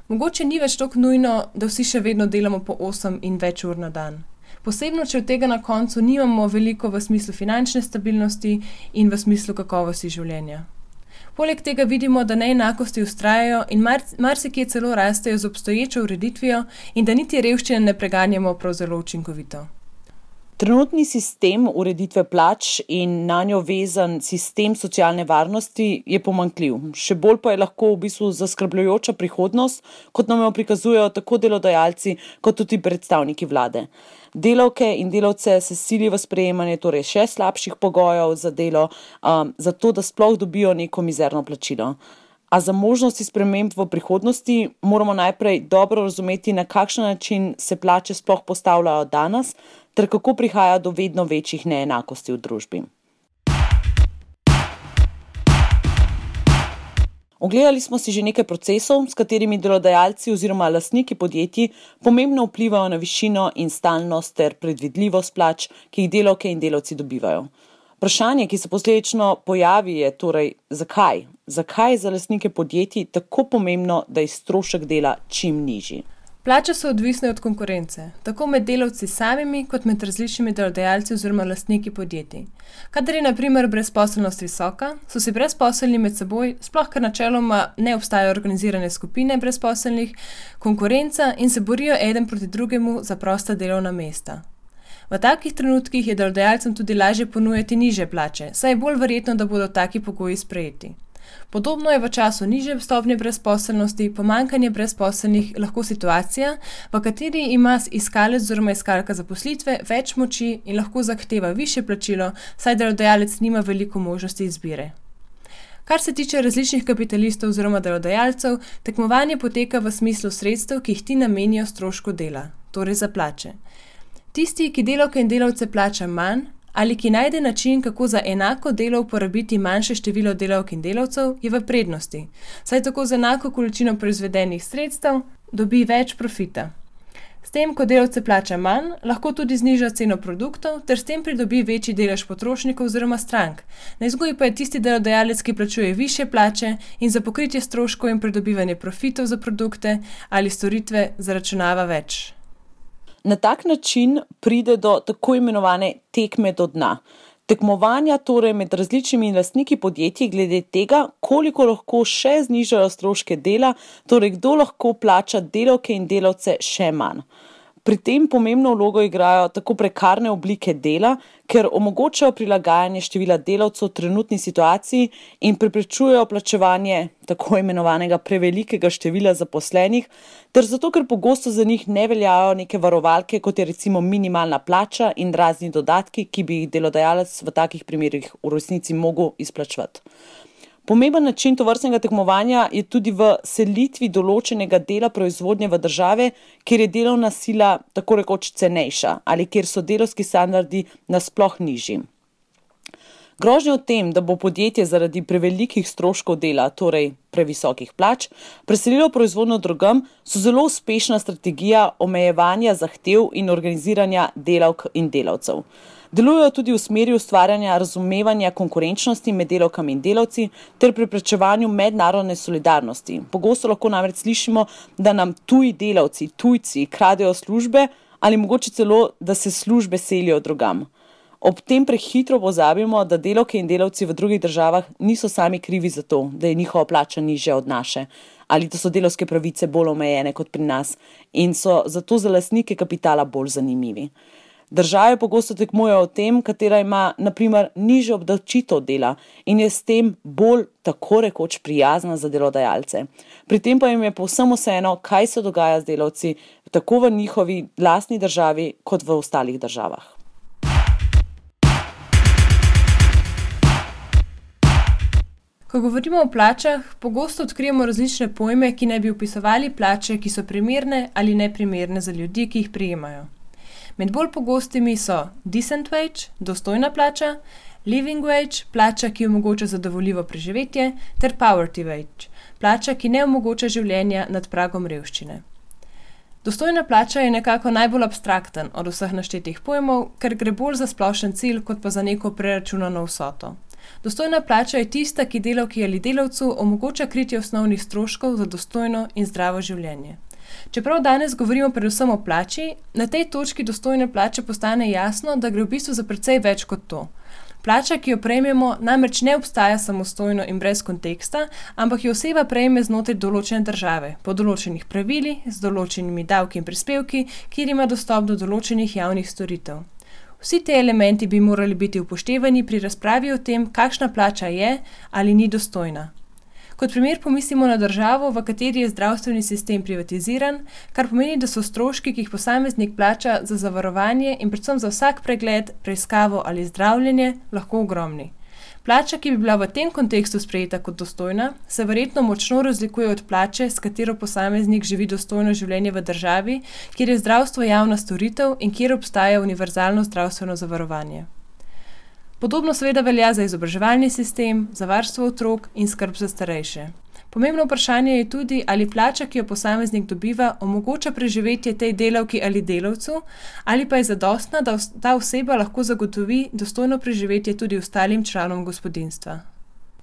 mogoče ni več tako nujno, da vsi še vedno delamo po 8 in več ur na dan. Posebno, če od tega na koncu nimamo veliko v smislu finančne stabilnosti in v smislu kakovosti življenja. Poleg tega vidimo, da neenakosti vztrajajo in marsikje celo rastejo z obstoječo ureditvijo in da niti revščine ne preganjamo prav zelo učinkovito. Trenutni sistem ureditve plač in na njo vezan sistem socialne varnosti je pomanjkljiv. Še bolj pa je lahko v bistvu zaskrbljujoča prihodnost, kot nam jo prikazujejo tako delodajalci, kot tudi predstavniki vlade. Delavke in delavce se sili v sprejemanje torej še slabših pogojev za delo, zato da sploh dobijo neko mizerno plačilo. A za možnosti sprememb v prihodnosti moramo najprej dobro razumeti, na kakšen način se plače sploh postavljajo danes, ter kako prihaja do vedno večjih neenakosti v družbi. Ogledali smo si že nekaj procesov, s katerimi delodajalci oziroma lastniki podjetij pomembno vplivajo na višino in stalnost ter predvidljivost plač, ki jih delavke in delavci dobivajo. Vprašanje, ki se posledično pojavi, je torej, zakaj? Zakaj je za lastnike podjetij tako pomembno, da je strošek dela čim nižji? Plače so odvisne od konkurence, tako med delavci samimi, kot med različnimi delodajalci oziroma lastniki podjetij. Kadar je na primer brezposelnost visoka, so si brezposelni med seboj, sploh ker načeloma ne obstajajo organizirane skupine brezposelnih, konkurenca in se borijo eden proti drugemu za prosta delovna mesta. V takih trenutkih je delodajalcem tudi lažje ponujati nižje plače, saj je bolj verjetno, da bodo taki pogoji sprejeti. Podobno je v času nižje stopnje brezposelnosti, pomanjkanje brezposelnih lahko situacija, v kateri ima iskalec oziroma iskalka zaposlitve več moči in lahko zahteva višje plačilo, saj delodajalec nima veliko možnosti izbire. Kar se tiče različnih kapitalistov oziroma delodajalcev, tekmovanje poteka v smislu sredstev, ki jih ti namenijo strošku dela, torej za plače. Tisti, ki delavke in delavce plača manj, ali ki najde način, kako za enako delo uporabiti manjše število delavk in delavcev, je v prednosti, saj tako z enako količino proizvedenih sredstev dobi več profita. S tem, ko delavce plača manj, lahko tudi zniža ceno produktov, ter s tem pridobi večji delež potrošnikov oziroma strank. Na izgubi pa je tisti delodajalec, ki plačuje višje plače in za pokritje stroškov in pridobivanje profitov za produkte ali storitve zaračunava več. Na tak način pride do tako imenovane tekme do dna. Tekmovanja torej med različnimi lastniki podjetij glede tega, koliko lahko še znižajo stroške dela, torej kdo lahko plača delavke in delavce še manj. Pri tem pomembno vlogo igrajo tako prekarne oblike dela, ker omogočajo prilagajanje števila delavcev trenutni situaciji in preprečujejo plačevanje tako imenovanega prevelikega števila zaposlenih, ter zato, ker pogosto za njih ne veljajo neke varovalke, kot je recimo minimalna plača in razni dodatki, ki bi jih delodajalec v takih primerih v resnici mogel izplačevati. Pomemben način tovrstnega tekmovanja je tudi v selitvi določenega dela proizvodnje v države, kjer je delovna sila tako rekoč cenejša ali kjer so delovski standardi nasploh nižji. Grožnje o tem, da bo podjetje zaradi prevelikih stroškov dela, torej previsokih plač, preselilo proizvodnjo drugam, so zelo uspešna strategija omejevanja zahtev in organiziranja delavk in delavcev. Delujejo tudi v smeri ustvarjanja razumevanja konkurenčnosti med delavkami in delavci ter preprečevanju mednarodne solidarnosti. Pogosto lahko namreč slišimo, da nam tuji delavci, tujci kradejo službe ali mogoče celo, da se službe selijo drugam. Ob tem prehitro pozabimo, da delavke in delavci v drugih državah niso sami krivi za to, da je njihova plača nižja od naše ali da so delavske pravice bolj omejene kot pri nas in so zato za lastnike kapitala bolj zanimivi. Države pogosto tekmujejo o tem, katera ima, na primer, nižjo obdavčitev dela in je s tem bolj tako rekoč prijazna za delodajalce. Pri tem pa jim je povsem vseeno, kaj se dogaja z delavci tako v njihovi lastni državi kot v ostalih državah. Ko govorimo o plačah, pogosto odkrijemo različne pojme, ki naj bi opisovali plače, ki so primerne ali neprimerne za ljudi, ki jih prejemajo. Med bolj pogostimi so decent wage, dostojna plača, living wage, plača, ki omogoča zadovoljivo preživetje, ter poverty wage, plača, ki ne omogoča življenja nad pragom revščine. Dostojna plača je nekako najbolj abstrakten od vseh naštetih pojmov, ker gre bolj za splošen cilj, kot pa za neko preračunano vsoto. Dostojna plača je tista, ki delavki ali delavcu omogoča kritje osnovnih stroškov za dostojno in zdravo življenje. Čeprav danes govorimo predvsem o plači, na tej točki dostojne plače postane jasno, da gre v bistvu za precej več kot to. Plača, ki jo prejmemo, namreč ne obstaja samostojno in brez konteksta, ampak jo oseba prejme znotraj določene države, po določenih pravilih, z določenimi davki in prispevki, kjer ima dostop do določenih javnih storitev. Vsi te elementi bi morali biti upoštevani pri razpravi o tem, kakšna plača je ali ni dostojna. Kot primer pomislimo na državo, v kateri je zdravstveni sistem privatiziran, kar pomeni, da so stroški, ki jih posameznik plača za zavarovanje in predvsem za vsak pregled, preiskavo ali zdravljenje, lahko ogromni. Plača, ki bi bila v tem kontekstu sprejeta kot dostojna, se verjetno močno razlikuje od plače, s katero posameznik živi dostojno življenje v državi, kjer je zdravstvo javna storitev in kjer obstaja univerzalno zdravstveno zavarovanje. Podobno seveda velja za izobraževalni sistem, za varstvo otrok in skrb za starejše. Pomembno vprašanje je tudi, ali plača, ki jo posameznik dobiva, omogoča preživetje tej delavki ali delavcu, ali pa je zadostna, da ta oseba lahko zagotovi dostojno preživetje tudi ostalim članom gospodinjstva.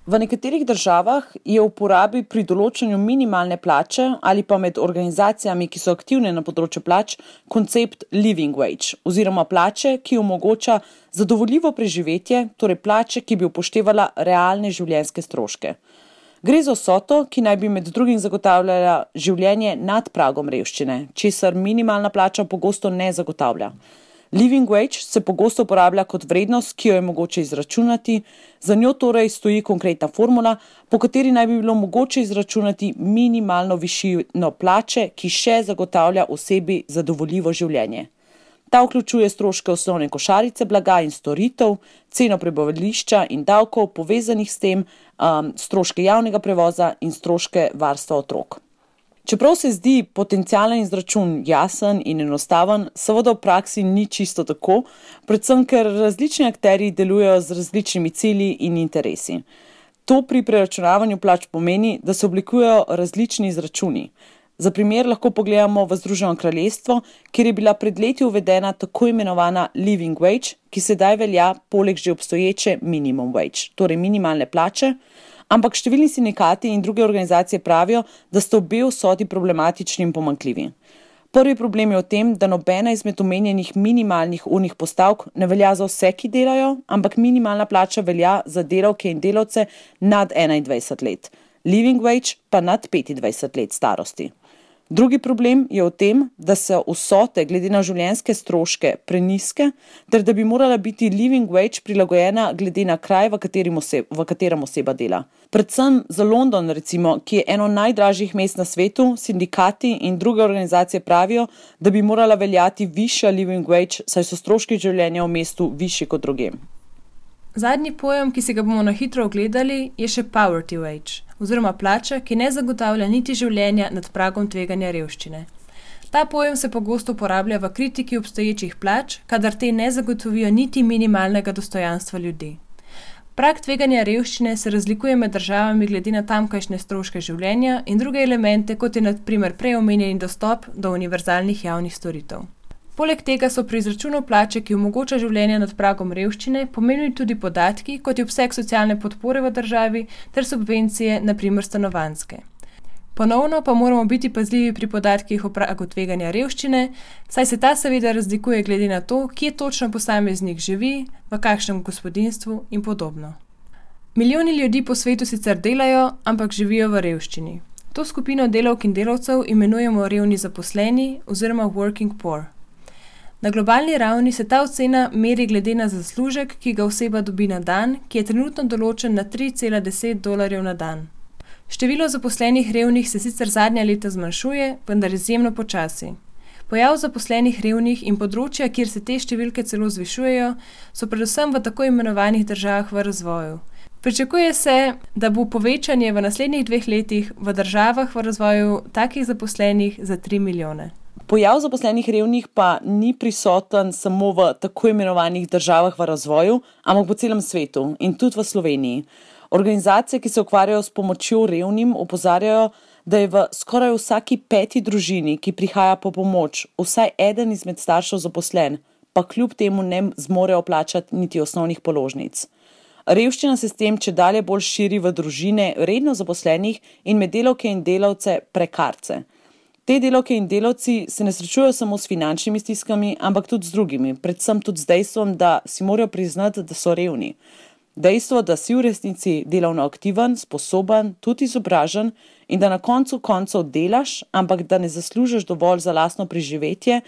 V nekaterih državah je v uporabi pri določanju minimalne plače ali pa med organizacijami, ki so aktivne na področju plač, koncept living wage oziroma plače, ki omogoča zadovoljivo preživetje, torej plače, ki bi upoštevala realne življenjske stroške. Gre za vsoto, ki naj bi med drugim zagotavljala življenje nad pragom revščine, česar minimalna plača pogosto ne zagotavlja. Living wage se pogosto uporablja kot vrednost, ki jo je mogoče izračunati, za njo torej stoji konkretna formula, po kateri naj bi bilo mogoče izračunati minimalno višino plače, ki še zagotavlja osebi zadovoljivo življenje. Ta vključuje stroške osnovne košarice blaga in storitev, ceno prebivališča in davkov povezanih s tem, stroške javnega prevoza in stroške varstva otrok. Čeprav se zdi potencialen izračun jasen in enostaven, seveda v praksi ni čisto tako, predvsem ker različni akterji delujejo z različnimi cilji in interesi. To pri preračunavanju plač pomeni, da se oblikujejo različni izračuni. Za primer lahko pogledamo v Združeno kraljestvo, kjer je bila pred leti uvedena tako imenovana living wage, ki sedaj velja poleg že obstoječe minimum wage, torej minimalne plače, ampak številni sindikati in druge organizacije pravijo, da sta obe vsoti problematični in pomanjkljivi. Prvi problem je v tem, da nobena izmed omenjenih minimalnih urnih postavk ne velja za vse, ki delajo, ampak minimalna plača velja za delavke in delavce nad 21 let, living wage pa nad 25 let starosti. Drugi problem je v tem, da so vsote glede na življenjske stroške prenizke, ter da bi morala biti living wage prilagojena glede na kraj, v katerem oseba dela. Predvsem za London, recimo, ki je eno najdražjih mest na svetu, sindikati in druge organizacije pravijo, da bi morala veljati višja living wage, saj so stroški življenja v mestu višji kot drugem. Zadnji pojem, ki si ga bomo na hitro ogledali, je še poverty wage, oziroma plača, ki ne zagotavlja niti življenja nad pragom tveganja revščine. Ta pojem se pogosto uporablja v kritiki obstoječih plač, kadar te ne zagotovijo niti minimalnega dostojanstva ljudi. Prag tveganja revščine se razlikuje med državami glede na tamkajšnje stroške življenja in druge elemente, kot je na primer prej omenjeni dostop do univerzalnih javnih storitev. Poleg tega so pri izračunu plače, ki omogoča življenje nad pragom revščine, pomembni tudi podatki, kot je obseg socialne podpore v državi ter subvencije, na primer stanovanjske. Ponovno pa moramo biti pazljivi pri podatkih o pragu tveganja revščine, saj se ta seveda razlikuje glede na to, kje točno posameznik živi, v kakšnem gospodinjstvu in podobno. Milijoni ljudi po svetu sicer delajo, ampak živijo v revščini. To skupino delavk in delavcev imenujemo revni zaposleni oziroma working poor. Na globalni ravni se ta ocena meri glede na zaslužek, ki ga oseba dobi na dan, ki je trenutno določen na $3,10 na dan. Število zaposlenih revnih se sicer zadnja leta zmanjšuje, vendar izjemno počasi. Pojav zaposlenih revnih in področja, kjer se te številke celo zvišujejo, so predvsem v tako imenovanih državah v razvoju. Pričakuje se, da bo povečanje v naslednjih 2 letih v državah v razvoju takih zaposlenih za 3 milijone. Pojav zaposlenih revnih pa ni prisoten samo v tako imenovanih državah v razvoju, ampak po celem svetu in tudi v Sloveniji. Organizacije, ki se ukvarjajo s pomočjo revnim, opozarjajo, da je v skoraj vsaki 5. družini, ki prihaja po pomoč, vsaj eden izmed staršev zaposlen, pa kljub temu ne zmorejo plačati niti osnovnih položnic. Revščina se s tem čedalje bolj širi v družine redno zaposlenih in med delavke in delavce prekarce. Te delavke in delavci se ne srečujejo samo s finančnimi stiskami, ampak tudi z drugimi, predvsem tudi z dejstvom, da si morajo priznati, da so revni. Dejstvo, da si v resnici delovno aktiven, sposoben, tudi izobražen in da na koncu koncev delaš, ampak da ne zaslužiš dovolj za lastno preživetje,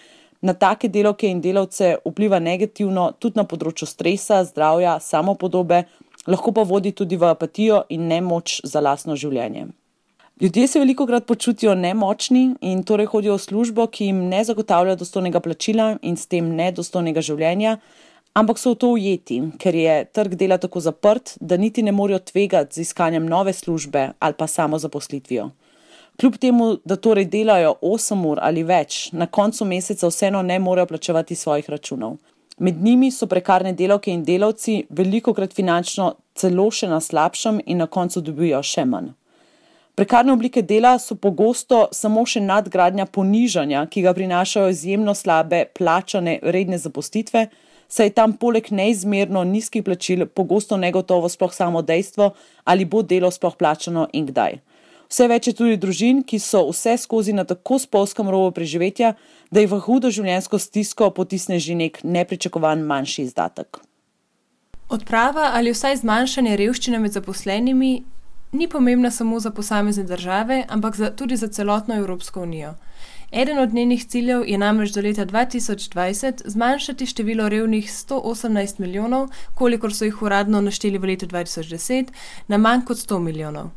na take delavke in delavce vpliva negativno tudi na področju stresa, zdravja, samopodobe, lahko pa vodi tudi v apatijo in nemoč za lastno življenje. Ljudje se velikokrat počutijo nemočni in torej hodijo v službo, ki jim ne zagotavlja dostojnega plačila in s tem nedostojnega življenja, ampak so v to ujeti, ker je trg dela tako zaprt, da niti ne morejo tvegati z iskanjem nove službe ali pa samozaposlitvijo. Kljub temu, da torej delajo 8 ur ali več, na koncu meseca vseeno ne morejo plačevati svojih računov. Med njimi so prekarne delavke in delavci velikokrat finančno celo še na slabšem in na koncu dobijo še manj. Prekarne oblike dela so pogosto samo še nadgradnja ponižanja, ki ga prinašajo izjemno slabe plačane redne zaposlitve, saj je tam poleg neizmerno nizkih plačil pogosto negotovo sploh samo dejstvo, ali bo delo sploh plačano in kdaj. Vse več je tudi družin, ki so vse skozi na tako spolzkem robu preživetja, da jih v hudo življenjsko stisko potisne že nek nepričakovan manjši izdatek. Odprava ali vsaj zmanjšanje revščine med zaposlenimi ni pomembna samo za posamezne države, ampak tudi za celotno Evropsko unijo. Eden od njenih ciljev je namreč do leta 2020 zmanjšati število revnih 118 milijonov, kolikor so jih uradno našteli v letu 2010, na manj kot 100 milijonov.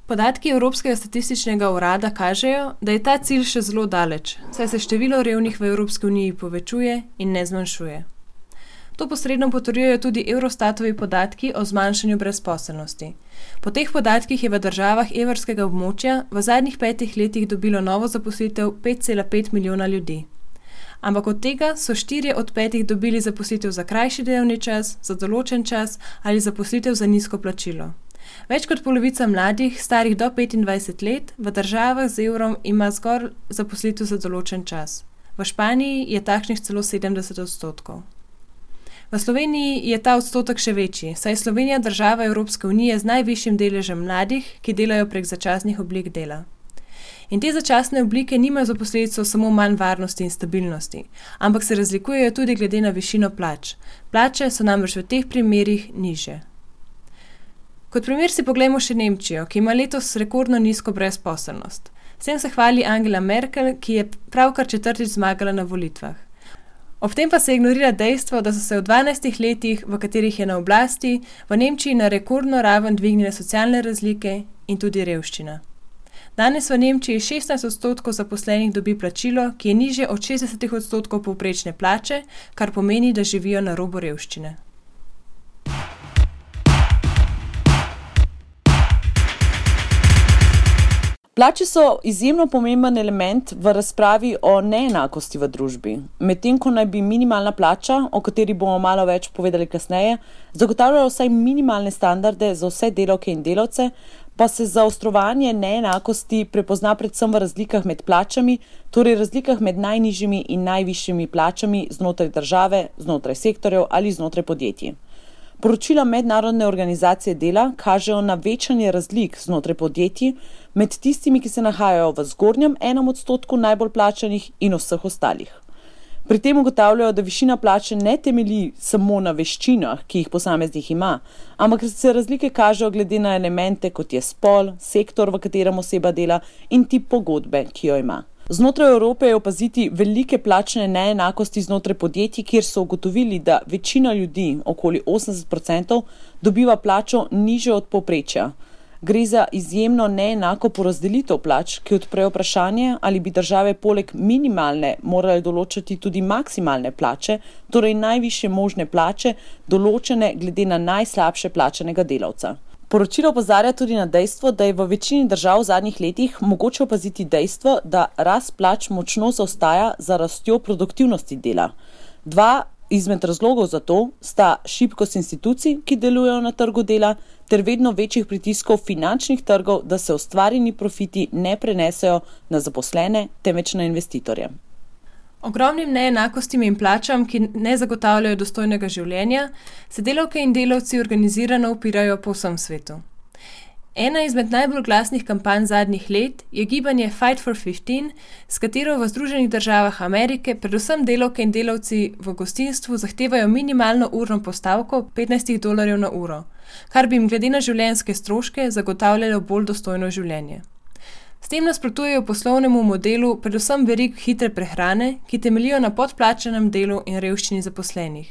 Podatki Evropskega statističnega urada kažejo, da je ta cilj še zelo daleč, saj se število revnih v Evropski uniji povečuje in ne zmanjšuje. To posredno potrjujejo tudi Eurostatovi podatki o zmanjšanju brezposelnosti. Po teh podatkih je v državah evrskega območja v zadnjih 5 letih dobilo novo zaposlitev 5,5 milijona ljudi. Ampak od tega so 4 od 5 dobili zaposlitev za krajši delovni čas, za določen čas ali zaposlitev za nizko plačilo. Več kot polovica mladih, starih do 25 let, v državah z evrom ima zgolj zaposlitev za določen čas. V Španiji je takšnih celo 70%. V Sloveniji je ta odstotek še večji, saj je Slovenija država Evropske unije z najvišjim deležem mladih, ki delajo prek začasnih oblik dela. In te začasne oblike nimajo za posledico samo manj varnosti in stabilnosti, ampak se razlikujejo tudi glede na višino plač. Plače so namreč v teh primerih nižje. Kot primer si poglejmo še Nemčijo, ki ima letos rekordno nizko brezposelnost. S tem se hvali Angela Merkel, ki je pravkar 4. zmagala na volitvah. Ob tem pa se ignorira dejstvo, da so se v 12 letih, v katerih je na oblasti, v Nemčiji na rekordno raven dvignile socialne razlike in tudi revščina. Danes v Nemčiji 16% zaposlenih dobi plačilo, ki je nižje od 60% povprečne plače, kar pomeni, da živijo na robu revščine. Plače so izjemno pomemben element v razpravi o neenakosti v družbi. Medtem ko naj bi minimalna plača, o kateri bomo malo več povedali kasneje, zagotavljala vsaj minimalne standarde za vse delavke in delavce, pa se zaostrovanje neenakosti prepozna predvsem v razlikah med plačami, torej razlikah med najnižjimi in najvišjimi plačami znotraj države, znotraj sektorjev ali znotraj podjetij. Poročila Mednarodne organizacije dela kažejo na večanje razlik znotraj podjetij med tistimi, ki se nahajajo v zgornjem 1% najbolj plačanih in vseh ostalih. Pri tem ugotavljajo, da višina plače ne temelji samo na veščinah, ki jih posameznik ima, ampak se razlike kažejo glede na elemente, kot je spol, sektor, v katerem oseba dela in tip pogodbe, ki jo ima. Znotraj Evrope je opaziti velike plačne neenakosti znotraj podjetij, kjer so ugotovili, da večina ljudi, okoli 80%, dobiva plačo nižjo od povprečja. Gre za izjemno neenako porazdelitev plač, ki odpre vprašanje, ali bi države poleg minimalne morale določati tudi maksimalne plače, torej najvišje možne plače, določene glede na najslabše plačanega delavca. Poročilo opozarja tudi na dejstvo, da je v večini držav v zadnjih letih mogoče opaziti dejstvo, da rast plač močno zaostaja za rastjo produktivnosti dela. Dva izmed razlogov za to sta šibkost institucij, ki delujejo na trgu dela, ter vedno večjih pritiskov finančnih trgov, da se ustvarjeni profiti ne prenesejo na zaposlene, temveč na investitorje. Ogromnim neenakostim in plačam, ki ne zagotavljajo dostojnega življenja, se delavke in delavci organizirano upirajo po vsem svetu. Ena izmed najbolj glasnih kampanj zadnjih let je gibanje Fight for 15, s katero v Združenih državah Amerike predvsem delavke in delavci v gostinstvu zahtevajo minimalno urno postavko $15 na uro, kar bi jim glede na življenjske stroške zagotavljalo bolj dostojno življenje. S tem nasprotujejo poslovnemu modelu predvsem verig hitre prehrane, ki temeljijo na podplačanem delu in revščini zaposlenih.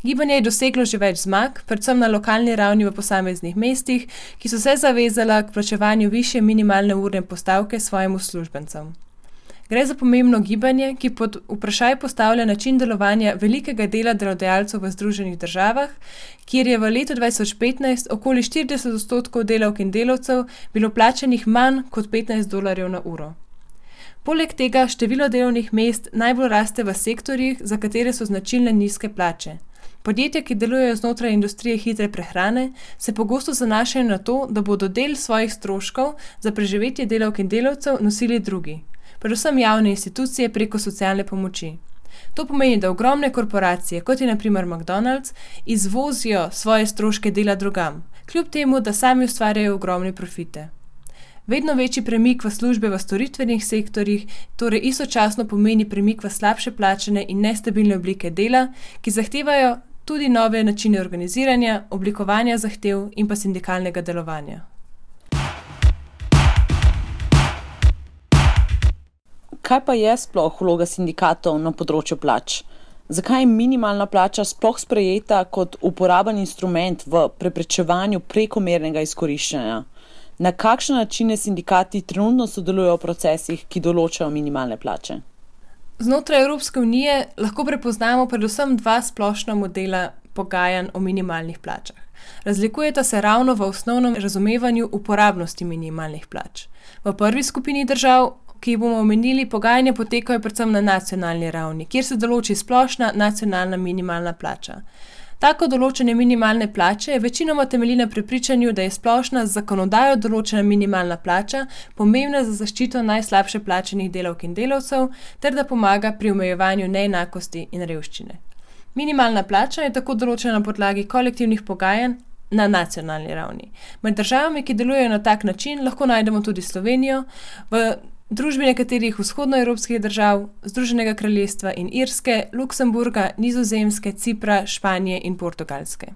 Gibanje je doseglo že več zmag, predvsem na lokalni ravni v posameznih mestih, ki so se zavezala k plačevanju višje minimalne urne postavke svojim uslužbencem. Gre za pomembno gibanje, ki pod vprašaj postavlja način delovanja velikega dela delodajalcev v Združenih državah, kjer je v letu 2015 okoli 40% delavk in delavcev bilo plačanih manj kot $15 na uro. Poleg tega število delovnih mest najbolj raste v sektorjih, za katere so značilne nizke plače. Podjetja, ki delujejo znotraj industrije hitre prehrane, se pogosto zanašajo na to, da bodo del svojih stroškov za preživetje delavk in delavcev nosili drugi, predvsem javne institucije preko socialne pomoči. To pomeni, da ogromne korporacije, kot je na primer McDonald's, izvozijo svoje stroške dela drugam, kljub temu, da sami ustvarjajo ogromne profite. Vedno večji premik v službe v storitvenih sektorjih torej istočasno pomeni premik v slabše plačane in nestabilne oblike dela, ki zahtevajo tudi nove načine organiziranja, oblikovanja zahtev in pa sindikalnega delovanja. Kaj pa je sploh vloga sindikatov na področju plač? Zakaj je minimalna plača sploh sprejeta kot uporaben instrument v preprečevanju prekomernega izkoriščanja? Na kakšne načine sindikati trenutno sodelujejo v procesih, ki določajo minimalne plače? Znotraj Evropske unije lahko prepoznamo predvsem dva splošna modela pogajanj o minimalnih plačah. Razlikujeta se ravno v osnovnem razumevanju uporabnosti minimalnih plač. V prvi skupini držav, ki jih bomo omenili, pogajanja potekajo predvsem na nacionalni ravni, kjer se določi splošna nacionalna minimalna plača. Tako določene minimalne plače večinoma temelji na prepričanju, da je splošna z zakonodajo določena minimalna plača pomembna za zaščito najslabše plačanih delavk in delavcev ter da pomaga pri omejevanju neenakosti in revščine. Minimalna plača je tako določena na podlagi kolektivnih pogajanj na nacionalni ravni. Med državami, ki delujejo na tak način, lahko najdemo tudi Slovenijo, v družbi nekaterih vzhodnoevropskih držav, Združenega kraljestva in Irske, Luksemburga, Nizozemske, Cipra, Španije in Portugalske.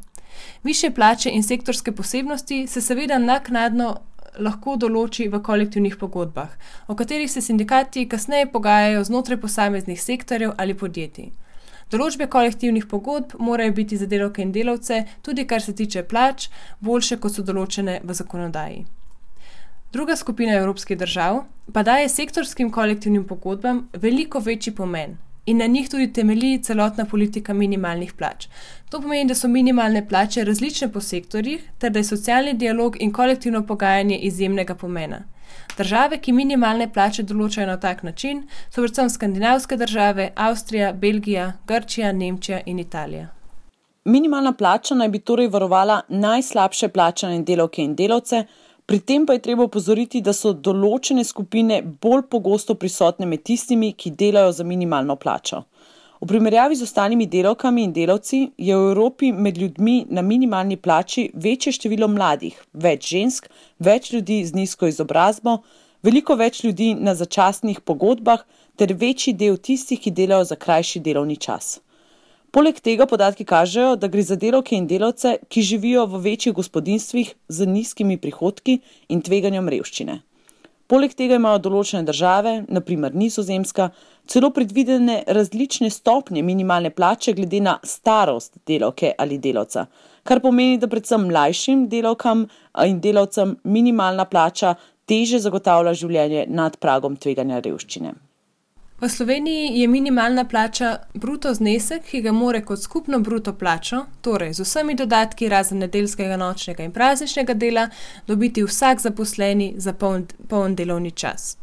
Višje plače in sektorske posebnosti se seveda naknadno lahko določi v kolektivnih pogodbah, o katerih se sindikati kasneje pogajajo znotraj posameznih sektorjev ali podjetij. Določbe kolektivnih pogodb morajo biti za delavke in delavce, tudi kar se tiče plač, boljše kot so določene v zakonodaji. Druga skupina evropskih držav pa daje sektorskim kolektivnim pogodbam veliko večji pomen. in na njih tudi temelji celotna politika minimalnih plač. To pomeni, da so minimalne plače različne po sektorjih, ter da je socialni dialog in kolektivno pogajanje izjemnega pomena. Države, ki minimalne plače določajo na tak način, so predvsem skandinavske države, Avstrija, Belgija, Grčija, Nemčija in Italija. Minimalna plača naj bi torej varovala najslabše plačane delavke in delavce, pri tem pa je treba opozoriti, da so določene skupine bolj pogosto prisotne med tistimi, ki delajo za minimalno plačo. V primerjavi z ostalimi delavkami in delavci je v Evropi med ljudmi na minimalni plači večje število mladih, več žensk, več ljudi z nizko izobrazbo, veliko več ljudi na začasnih pogodbah ter večji del tistih, ki delajo za krajši delovni čas. Poleg tega podatki kažejo, da gre za delavke in delavce, ki živijo v večjih gospodinjstvih z nizkimi prihodki in tveganjem revščine. Poleg tega imajo določene države, na primer Nizozemska, celo predvidene različne stopnje minimalne plače glede na starost delavke ali delavca, kar pomeni, da predvsem mlajšim delavkam in delavcem minimalna plača teže zagotavlja življenje nad pragom tveganja revščine. V Sloveniji je minimalna plača bruto znesek, ki ga more kot skupno bruto plačo, torej z vsemi dodatki razen nedeljskega, nočnega in prazničnega dela, dobiti vsak zaposleni za poln delovni čas.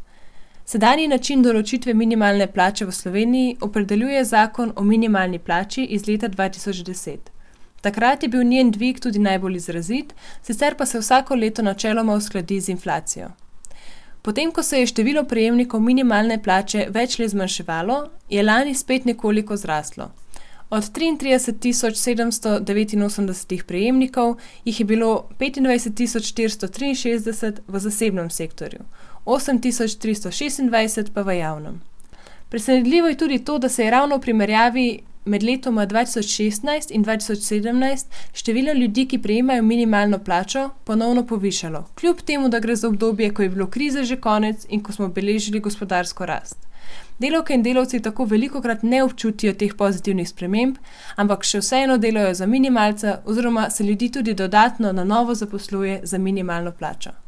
Sedanji način določitve minimalne plače v Sloveniji opredeljuje zakon o minimalni plači iz leta 2010. Takrat je bil njen dvig tudi najbolj izrazit, sicer pa se vsako leto načeloma uskladi z inflacijo. Potem, ko se je število prejemnikov minimalne plače več let zmanjševalo, je lani spet nekoliko zraslo. Od 33.789 prejemnikov jih je bilo 25.463 v zasebnem sektorju, 8.326 pa v javnem. Presenetljivo je tudi to, da se je ravno v primerjavi med letoma 2016 in 2017 število ljudi, ki prejemajo minimalno plačo, ponovno povišalo, kljub temu, da gre za obdobje, ko je bilo krize že konec in ko smo beležili gospodarsko rast. Delavke in delavci tako velikokrat ne občutijo teh pozitivnih sprememb, ampak še vseeno delajo za minimalca oziroma se ljudi tudi dodatno na novo zaposluje za minimalno plačo.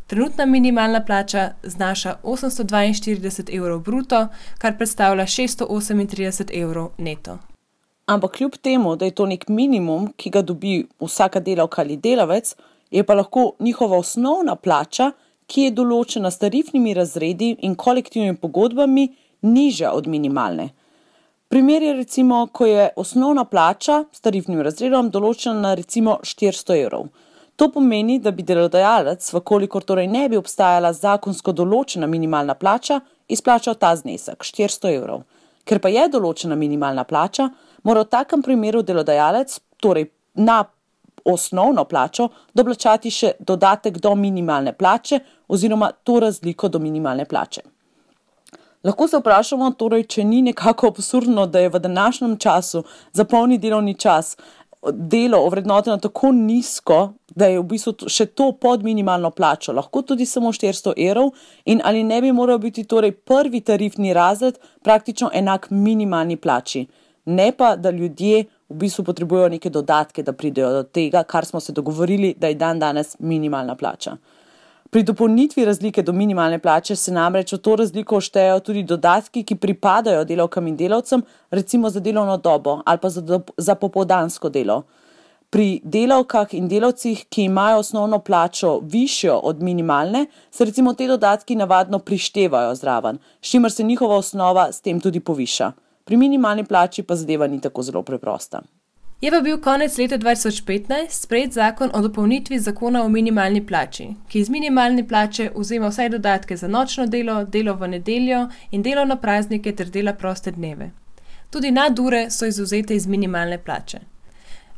Trenutna minimalna plača znaša 842 evrov bruto, kar predstavlja 638 evrov neto. Ampak kljub temu, da je to nek minimum, ki ga dobi vsaka delavka ali delavec, je pa lahko njihova osnovna plača, ki je določena s tarifnimi razredi in kolektivnimi pogodbami, nižja od minimalne. Primer je recimo, ko je osnovna plača s tarifnim razredom določena na recimo 400 evrov. To pomeni, da bi delodajalec, vkolikor torej ne bi obstajala zakonsko določena minimalna plača, izplačal ta znesek, 400 evrov. Ker pa je določena minimalna plača, mora v takem primeru delodajalec, torej na osnovno plačo, doplačati še dodatek do minimalne plače oziroma to razliko do minimalne plače. Lahko se vprašamo, torej, če ni nekako absurdno, da je v današnjem času za polni delovni čas delo ovrednoteno tako nizko, da je v bistvu še to pod minimalno plačo, lahko tudi samo 400 evrov in ali ne bi moral biti torej prvi tarifni razred praktično enak minimalni plači. Ne pa, da ljudje v bistvu potrebujejo neke dodatke, da pridejo do tega, kar smo se dogovorili, da je danes minimalna plača. Pri dopolnitvi razlike do minimalne plače se namreč v to razliko štejejo tudi dodatki, ki pripadajo delavkam in delavcem, recimo za delovno dobo ali pa za popoldansko delo. Pri delavkah in delavcih, ki imajo osnovno plačo višjo od minimalne, se recimo te dodatki navadno prištevajo zraven, s čimer se njihova osnova s tem tudi poviša. Pri minimalni plači pa zadeva ni tako zelo preprosta. Je pa bil konec leta 2015 sprejet zakon o dopolnitvi zakona o minimalni plači, ki iz minimalne plače vzema vsaj dodatke za nočno delo, delo v nedeljo in delo na praznike ter dela proste dneve. Tudi nadure so izvzete iz minimalne plače.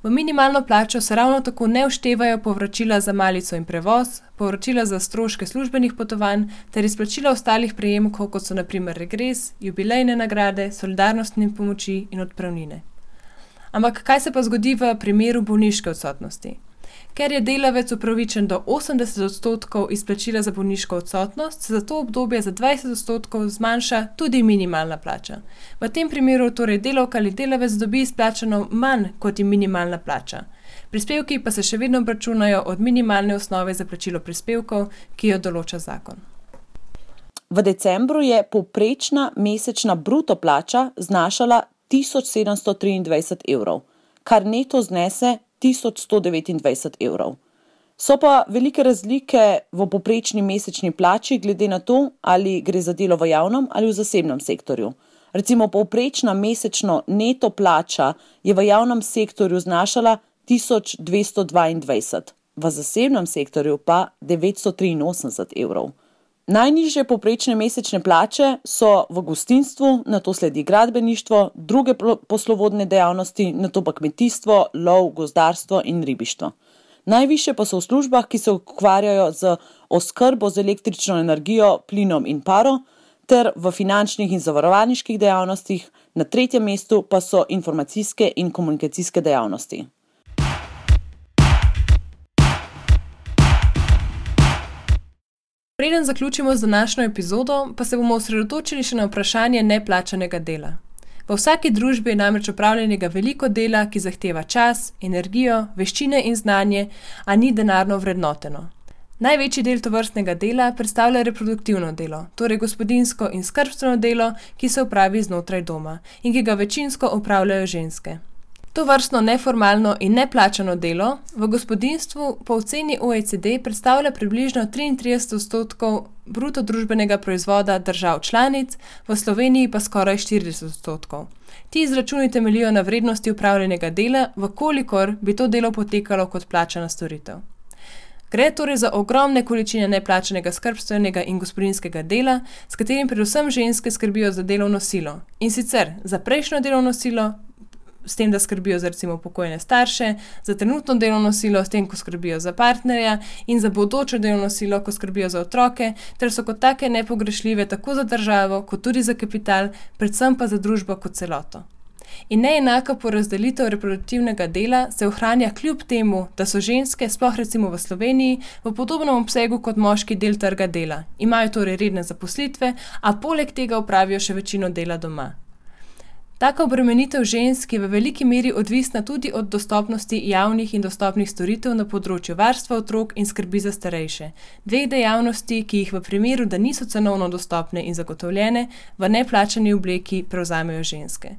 V minimalno plačo se ravno tako ne vštevajo povračila za malico in prevoz, povračila za stroške službenih potovanj ter izplačila ostalih prejemkov, kot so na primer regres, jubilejne nagrade, solidarnostne pomoči in odpravnine. Ampak kaj se pa zgodi v primeru bolniške odsotnosti? Ker je delavec upravičen do 80% izplačila za bolniško odsotnost, se za to obdobje za 20% zmanjša tudi minimalna plača. V tem primeru torej delavka ali delavec dobi izplačano manj kot je minimalna plača. Prispevki pa se še vedno obračunajo od minimalne osnove za plačilo prispevkov, ki jo določa zakon. V decembru je povprečna mesečna bruto plača znašala 1723 evrov, kar neto znese 1129 evrov. So pa velike razlike v povprečni mesečni plači glede na to, ali gre za delo v javnem ali v zasebnem sektorju. Recimo povprečna mesečno neto plača je v javnem sektorju znašala 1222, v zasebnem sektorju pa 983 evrov. Najnižje povprečne mesečne plače so v gostinstvu, nato sledi gradbeništvo, druge poslovodne dejavnosti, nato pa kmetijstvo, lov, gozdarstvo in ribištvo. Najvišje pa so v službah, ki se ukvarjajo z oskrbo z električno energijo, plinom in paro, ter v finančnih in zavarovalniških dejavnostih, na tretjem mestu pa so informacijske in komunikacijske dejavnosti. Preden zaključimo z današnjo epizodo, pa se bomo osredotočili še na vprašanje neplačanega dela. V vsaki družbi je namreč opravljenega veliko dela, ki zahteva čas, energijo, veščine in znanje, a ni denarno vrednoteno. Največji del tovrstnega dela predstavlja reproduktivno delo, torej gospodinjsko in skrbstveno delo, ki se opravi znotraj doma in ki ga večinsko opravljajo ženske. Tovrstno neformalno in neplačano delo v gospodinjstvu po oceni OECD predstavlja približno 33% bruto družbenega proizvoda držav članic, v Sloveniji pa skoraj 40%. Ti izračuni temeljijo na vrednosti opravljenega dela, vkolikor bi to delo potekalo kot plačana storitev. Gre torej za ogromne količine neplačanega skrbstvenega in gospodinjskega dela, s katerim predvsem ženske skrbijo za delovno silo. In sicer za prejšnjo delovno silo, s tem, da skrbijo za recimo pokojne starše, za trenutno delovno silo, s tem, ko skrbijo za partnerja in za bodočo delovno silo, ko skrbijo za otroke, ter so kot take nepogrešljive tako za državo, kot tudi za kapital, predvsem pa za družbo kot celoto. In neenaka porazdelitev reproduktivnega dela se ohranja kljub temu, da so ženske, sploh recimo v Sloveniji, v podobnem obsegu kot moški del trga dela. Imajo torej redne zaposlitve, a poleg tega opravijo še večino dela doma. Taka obremenitev žensk je v veliki meri odvisna tudi od dostopnosti javnih in dostopnih storitev na področju varstva otrok in skrbi za starejše. Dveh dejavnosti, ki jih v primeru, da niso cenovno dostopne in zagotovljene, v neplačani obleki prevzamejo ženske.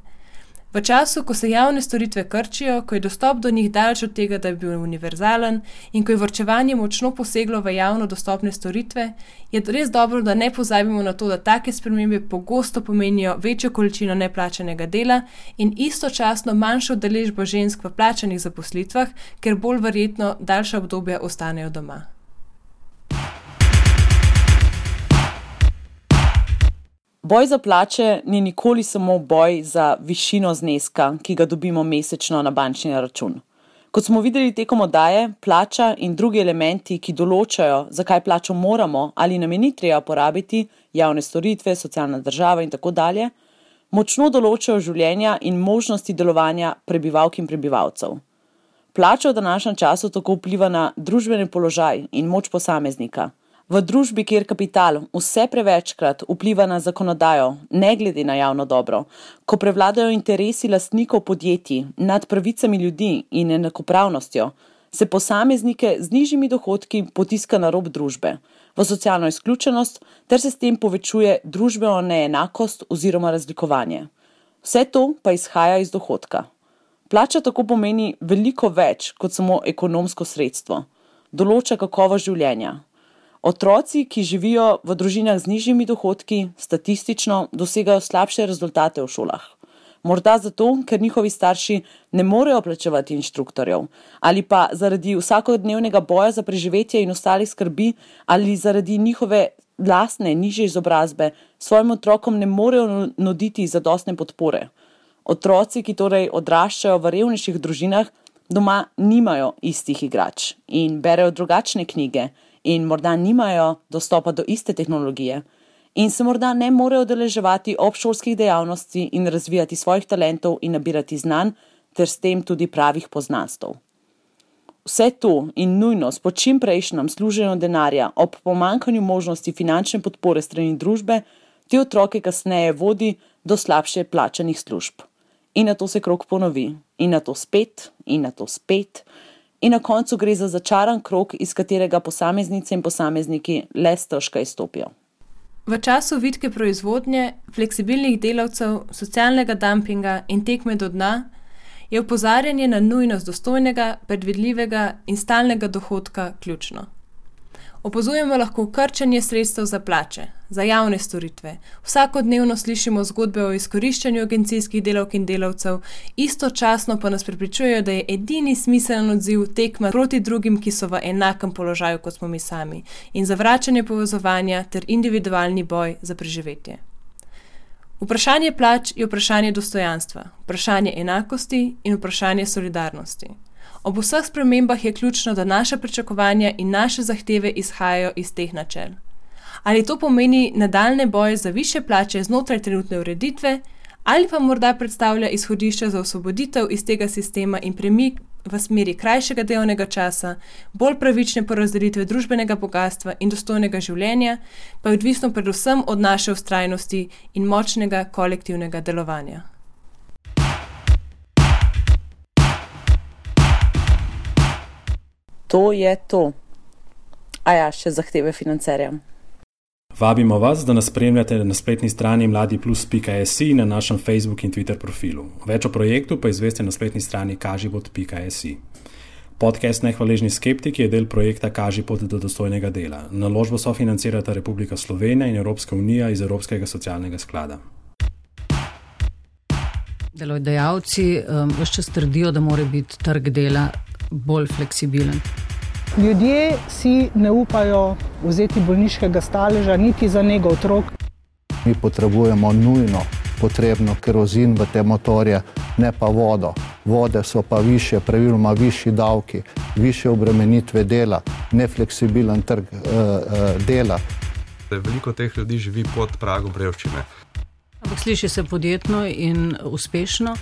V času, ko se javne storitve krčijo, ko je dostop do njih daleč od tega, da bi bil univerzalen in ko je varčevanje močno poseglo v javno dostopne storitve, je res dobro, da ne pozabimo na to, da take spremembe pogosto pomenijo večjo količino neplačanega dela in istočasno manjšo udeležbo žensk v plačanih zaposlitvah, ker bolj verjetno daljša obdobja ostanejo doma. Boj za plače ni nikoli samo boj za višino zneska, ki ga dobimo mesečno na bančni račun. Kot smo videli tekom oddaje, plača in drugi elementi, ki določajo, zakaj plačo moramo ali nam je ni treba porabiti, javne storitve, socialna država in tako dalje, močno določajo življenja in možnosti delovanja prebivalk in prebivalcev. Plača v današnjem času tako vpliva na družbeni položaj in moč posameznika. V družbi, kjer kapital vse prevečkrat vpliva na zakonodajo, ne glede na javno dobro, ko prevladajo interesi lastnikov podjetij nad pravicami ljudi in enakopravnostjo, se posameznike z nižjimi dohodki potiska na rob družbe, v socialno izključenost, ter se s tem povečuje družbeno neenakost oziroma razlikovanje. Vse to pa izhaja iz dohodka. Plača tako pomeni veliko več kot samo ekonomsko sredstvo. Določa kakovost življenja. Otroci, ki živijo v družinah z nižjimi dohodki, statistično dosegajo slabše rezultate v šolah. Morda zato, ker njihovi starši ne morejo plačevati inštruktorjev, ali pa zaradi vsakodnevnega boja za preživetje in ostalih skrbi, ali zaradi njihove lastne nižje izobrazbe svojim otrokom ne morejo nuditi zadostne podpore. Otroci, ki torej odraščajo v revnejših družinah, doma nimajo istih igrač in berejo drugačne knjige, in morda nimajo dostopa do iste tehnologije in se morda ne morejo udeleževati obšolskih dejavnosti in razvijati svojih talentov in nabirati znanj ter s tem tudi pravih poznanstev. Vse to in nujnost po čim prejšnjem služenju denarja ob pomanjkanju možnosti finančne podpore strani družbe te otroke kasneje vodi do slabše plačanih služb. In na to se krog ponovi, in na to spet, in na to spet. In na koncu gre za začaran krog, iz katerega posameznice in posamezniki le stežka izstopijo. V času vitke proizvodnje, fleksibilnih delavcev, socialnega dumpinga in tekme do dna je opozarjanje na nujnost dostojnega, predvidljivega in stalnega dohodka ključno. Opazujemo lahko krčenje sredstev za plače, za javne storitve. Vsakodnevno slišimo zgodbe o izkoriščanju agencijskih delavk in delavcev, istočasno pa nas prepričujejo, da je edini smiseln odziv tekma proti drugim, ki so v enakem položaju kot smo mi sami, in zavračanje povezovanja ter individualni boj za preživetje. Vprašanje plač je vprašanje dostojanstva, vprašanje enakosti in vprašanje solidarnosti. Ob vseh spremembah je ključno, da naše pričakovanja in naše zahteve izhajajo iz teh načel. Ali to pomeni nadaljnje boje za višje plače znotraj trenutne ureditve, ali pa morda predstavlja izhodišče za osvoboditev iz tega sistema in premik v smeri krajšega delovnega časa, bolj pravične porazdelitve družbenega bogastva in dostojnega življenja, pa je odvisno predvsem od naše vztrajnosti in močnega kolektivnega delovanja. To je to. A ja, še zahteve financerja. Vabimo vas, da nas spremljate na spletni strani mladiplus.si in na našem Facebook in Twitter profilu. Več o projektu pa izveste na spletni strani kažipot.si. Podcast Nehvaležni skeptiki je del projekta Kažipot do dostojnega dela. Naložbo sofinancirata Republika Slovenija in Evropska unija iz Evropskega socialnega sklada. Delodajalci vse čas trdijo, da mora biti trg dela bolj fleksibilen. Ljudje si ne upajo vzeti bolniškega staleža niti za nego otrok. Mi potrebujemo nujno potrebno kerozin v te motorje, ne pa vodo. Vode so pa više, praviloma višji davki, više obremenitve dela, nefleksibilen trg dela. Veliko teh ljudi živi pod pragom revščine. Ampak sliši se podjetno in uspešno.